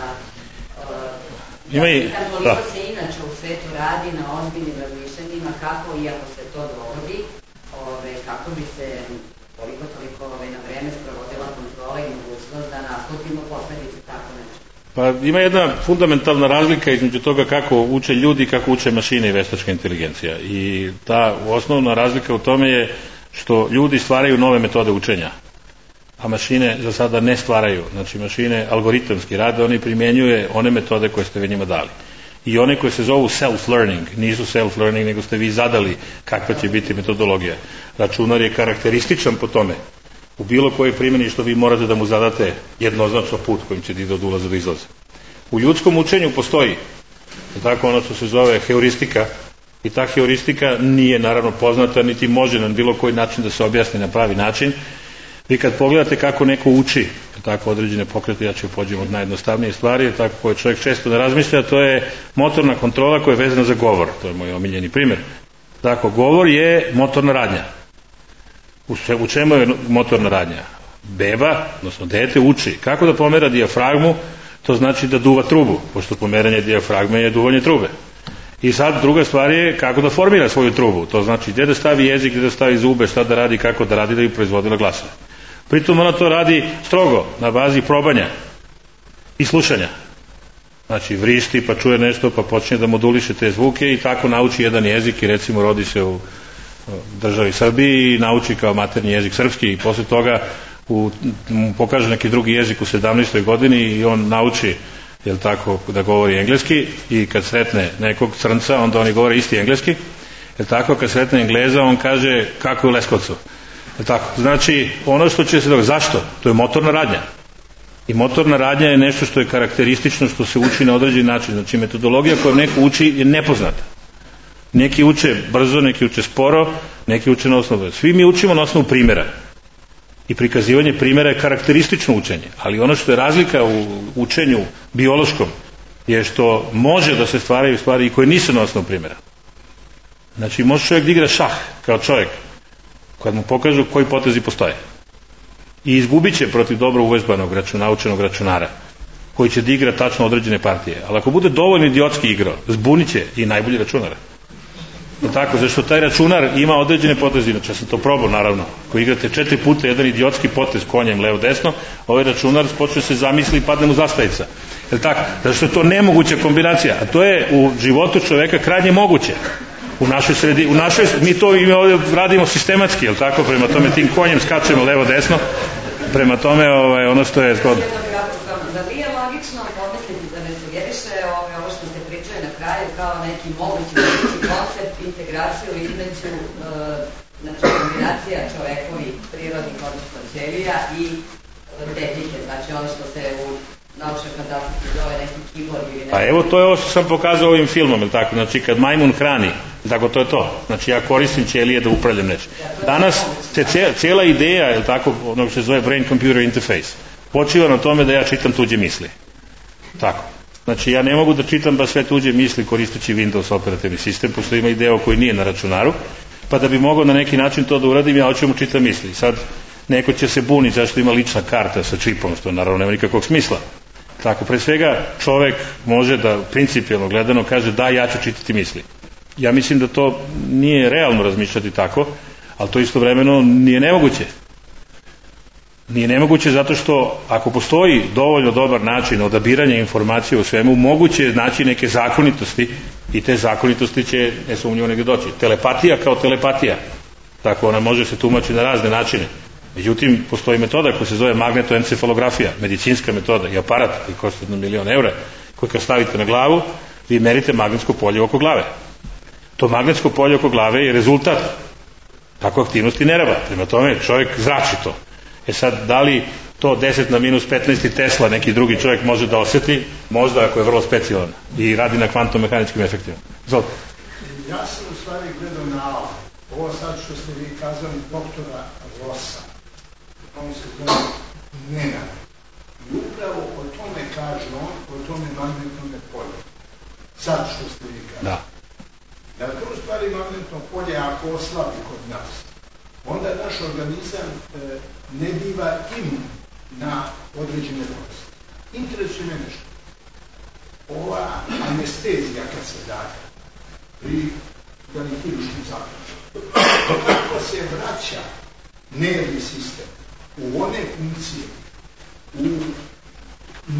pitam koliko se inače u svetu radi na ozbiljnim razmišljanjima, kako, iako se to dogodi, kako bi se koliko toliko na vreme sprovodila kontrola i mogućnost da naslutimo posledice tako nešto.
Pa ima jedna fundamentalna razlika između toga kako uče ljudi i kako uče mašine i veštačka inteligencija. I ta osnovna razlika u tome je što ljudi stvaraju nove metode učenja, a mašine za sada ne stvaraju. Znači mašine algoritamski rade, oni primjenjuje one metode koje ste vi njima dali. I one koje se zovu self-learning, nisu self-learning, nego ste vi zadali kakva će biti metodologija. Računar je karakterističan po tome. U bilo kojoj primjeni što vi morate da mu zadate jednoznačno put kojim će da od ulaza do izlaza. U ljudskom učenju postoji tako ono što se zove heuristika i ta heuristika nije naravno poznata niti može na bilo koji način da se objasni na pravi način. Vi kad pogledate kako neko uči tako određene pokrete, ja ću pođem od najjednostavnije stvari, tako koje čovjek često ne razmišlja, to je motorna kontrola koja je vezana za govor. To je moj omiljeni primjer. Tako, govor je motorna radnja. U čemu je motorna radnja? Beba, odnosno dete, uči kako da pomera dijafragmu, to znači da duva trubu, pošto pomeranje dijafragme je duvanje trube. I sad druga stvar je kako da formira svoju trubu, to znači gdje da stavi jezik, gdje da stavi zube, šta da radi, kako da radi da bi proizvodila glasove. Pritom ona to radi strogo, na bazi probanja i slušanja. Znači vrišti pa čuje nešto pa počne da moduliše te zvuke i tako nauči jedan jezik i recimo rodi se u državi Srbiji i nauči kao maternji jezik srpski i posle toga pokaže neki drugi jezik u 17. godini i on nauči tako, da govori engleski i kad sretne nekog crnca onda oni govore isti engleski. Tako, kad sretne Engleza on kaže kako je u Leskovcu. Tako, znači ono što će se dogoditi, zašto? To je motorna radnja. I motorna radnja je nešto što je karakteristično, što se uči na određen način. Znači metodologija koju neko uči je nepoznata. Neki uče brzo, neki uče sporo, neki uče na osnovu. Svi mi učimo na osnovu primjera. I prikazivanje primjera je karakteristično učenje. Ali ono što je razlika u učenju biološkom je što može da se stvaraju stvari i koje nisu na osnovu primjera. Znači može čovjek da igra šah kao čovjek kad mu pokažu koji potezi postoje. I izgubit će protiv dobro uvežbanog naučenog računara koji će da igra tačno određene partije. Ali ako bude dovoljno idiotski igrao, zbunit će i najbolji računar. Tako, zašto taj računar ima određene poteze, inače sam to probao naravno, ako igrate 4 puta jedan idiotski potez konjem levo-desno, ovaj računar počne se zamisli i padne mu zastavica. Tako, zašto je to nemoguća kombinacija, a to je u životu čoveka krajnje moguće. U našoj mi to ovdje radimo sistematski, tako, prema tome tim konjem skačemo levo-desno, prema tome ono što je zgodno.
Da li je logično pomisliti da ne sugeriše ovo što se pričaju na kraju kao neki mogući koncept, integraciju između kombinacija čovekovih prirodnih odnosno ćelija i tehnike, znači ono što se u naučne fantastike zove neki kibor ili neki...
Pa evo, to je ovo što sam pokazao ovim filmom, ili tako? Znači, kad majmun hrani, tako, to je to. Znači, ja koristim ćelije da upravljam nešto. Danas se cijela ideja, ili tako, ono što se zove brain computer interface, počiva na tome da ja čitam tuđe misli. Tako. Znači, ja ne mogu da čitam baš sve tuđe misli koristeći Windows operativni sistem, pošto ima i deo koji nije na računaru, pa da bi mogao na neki način to da uradim, ja hoću mu čitam misli. Sad, neko će se buniti zašto ima lična karta sa čipom, što naravno nema nikakvog smisla. Tako, pre svega, čovek može da, principijalno gledano, kaže da, ja ću čitati misli. Ja mislim da to nije realno razmišljati tako, ali to istovremeno nije nemoguće. Nije nemoguće zato što ako postoji dovoljno dobar način odabiranja informacije u svemu, moguće je naći neke zakonitosti i te zakonitosti će nesumnjivo negdje doći. Telepatija kao telepatija, tako ona može se tumačiti na razne načine. Međutim, postoji metoda koja se zove magnetoencefalografija, medicinska metoda i aparat koji košta 1 milion eura, koji kad stavite na glavu, vi merite magnetsko polje oko glave. To magnetsko polje oko glave je rezultat tako aktivnosti nerava. Prema tome, čovjek zrači to. E sad, da li to 10 na minus 15 Tesla neki drugi čovjek može da osjeti? Možda, ako je vrlo specijalan i radi na kvantom-mehaničkim efektima. Zvolite.
Ja sam u stvari gledao na ovo sad što ste vi kazali doktora Rosa. On se zove Nenad. I upravo o tome kaže on, o tome magnetnome polju. Sad što ste vi kazali.
Da.
Da to u stvari magnetno polje ako oslabi kod nas, onda naš organizam ne biva imun na određene bolesti. Interesuje me nešto. Ova anestezija kad se daje pri hiruškim zaključima, kako se vraća nervni sistem u one funkcije u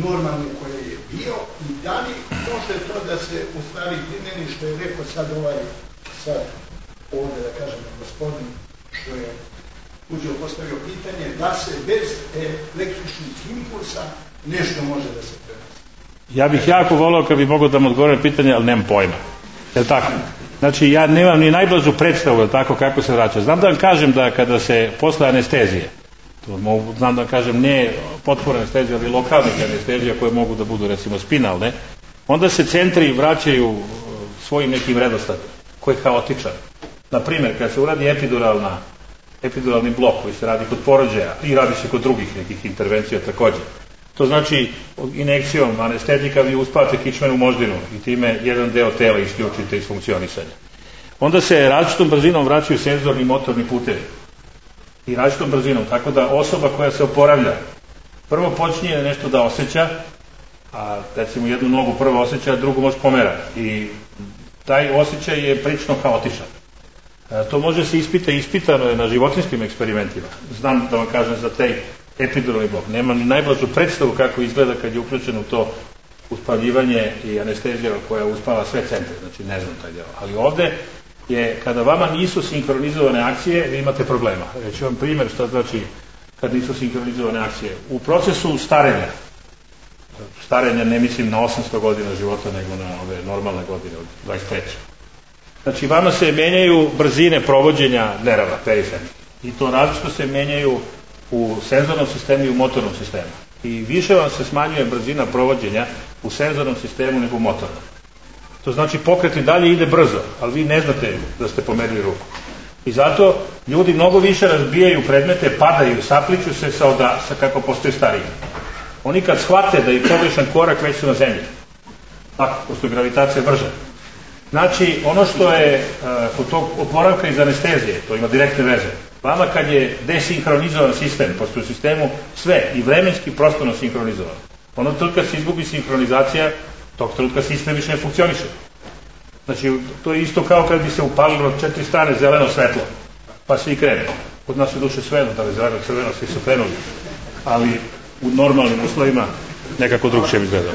normalne koje je bio i da li može to da se u stvari primjeni što je rekao sad ovdje da kažem gospodin što je uđeo postavio pitanje da se bez električnih impulsa nešto može da se prenese.
Ja bih jako volao kad bi mogao da mu odgovorim pitanje, ali nemam pojma. Je li tako? Znači, ja nemam ni najblažu predstavu, je tako, kako se vraća. Znam da vam kažem da kada se posle anestezije, znam da vam kažem ne potpore anestezije, ali lokalnih anestezija koje mogu da budu recimo spinalne, onda se centri vraćaju svojim nekim redosledom, koji je haotičan. Naprimjer, kad se uradi epiduralni blok koji se radi kod porođaja i radi se kod drugih nekih intervencija također. To znači injekcijom anestetika vi uspavate kičmenu moždinu i time jedan deo tela isključite iz funkcionisanja. Onda se različitom brzinom vraćaju senzorni i motorni putevi. I različitom brzinom, tako da osoba koja se oporavlja prvo počinje nešto da osjeća, a recimo jednu nogu prvo osjeća, drugu može pomera. I taj osjećaj je prilično haotičan. To može se ispitano je na životinskim eksperimentima. Znam da vam kažem za taj epiduralni blok. Nemam ni najblažu predstavu kako izgleda kad je uključeno to uspavljivanje i anestezija koja uspava sve centre. Znači ne znam taj deo. Ali ovde je, kada vama nisu sinkronizovane akcije, vi imate problema. Reći vam primjer šta znači kad nisu sinkronizovane akcije. U procesu starenja ne mislim na 800 godina života, nego na ove normalne godine od 23. Znači, vama se menjaju brzine provođenja nerava, perifernih. I to različito se menjaju u senzornom sistemu i u motornom sistemu. I više vam se smanjuje brzina provođenja u senzornom sistemu nego u motornom. To znači pokret i dalje ide brzo, ali vi ne znate da ste pomerili ruku. I zato ljudi mnogo više razbijaju predmete, padaju, sapliču se sa kako postoji stariji. Oni kad shvate da je pogrešan korak, već su na zemlji. Tako, pošto je gravitacija brža. Znači, ono što je kod tog oporavka iz anestezije, to ima direktne veze. Vama kad je desinkronizovan sistem, pošto u sistemu sve i vremenski prostorno sinkronizovan, ono trenutka se izgubi sinkronizacija, tog trenutka sistem više ne funkcioniše. Znači, to je isto kao kad bi se upalilo 4 strane zeleno svetlo, pa svi krenu. Kod nas je duše svejedno, da li zeleno, crveno, svi su krenuli. Ali u normalnim uslovima nekako drugčije bi izgledalo.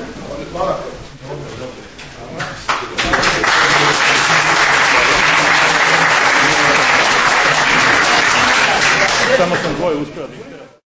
Samo sam dvoje uspio.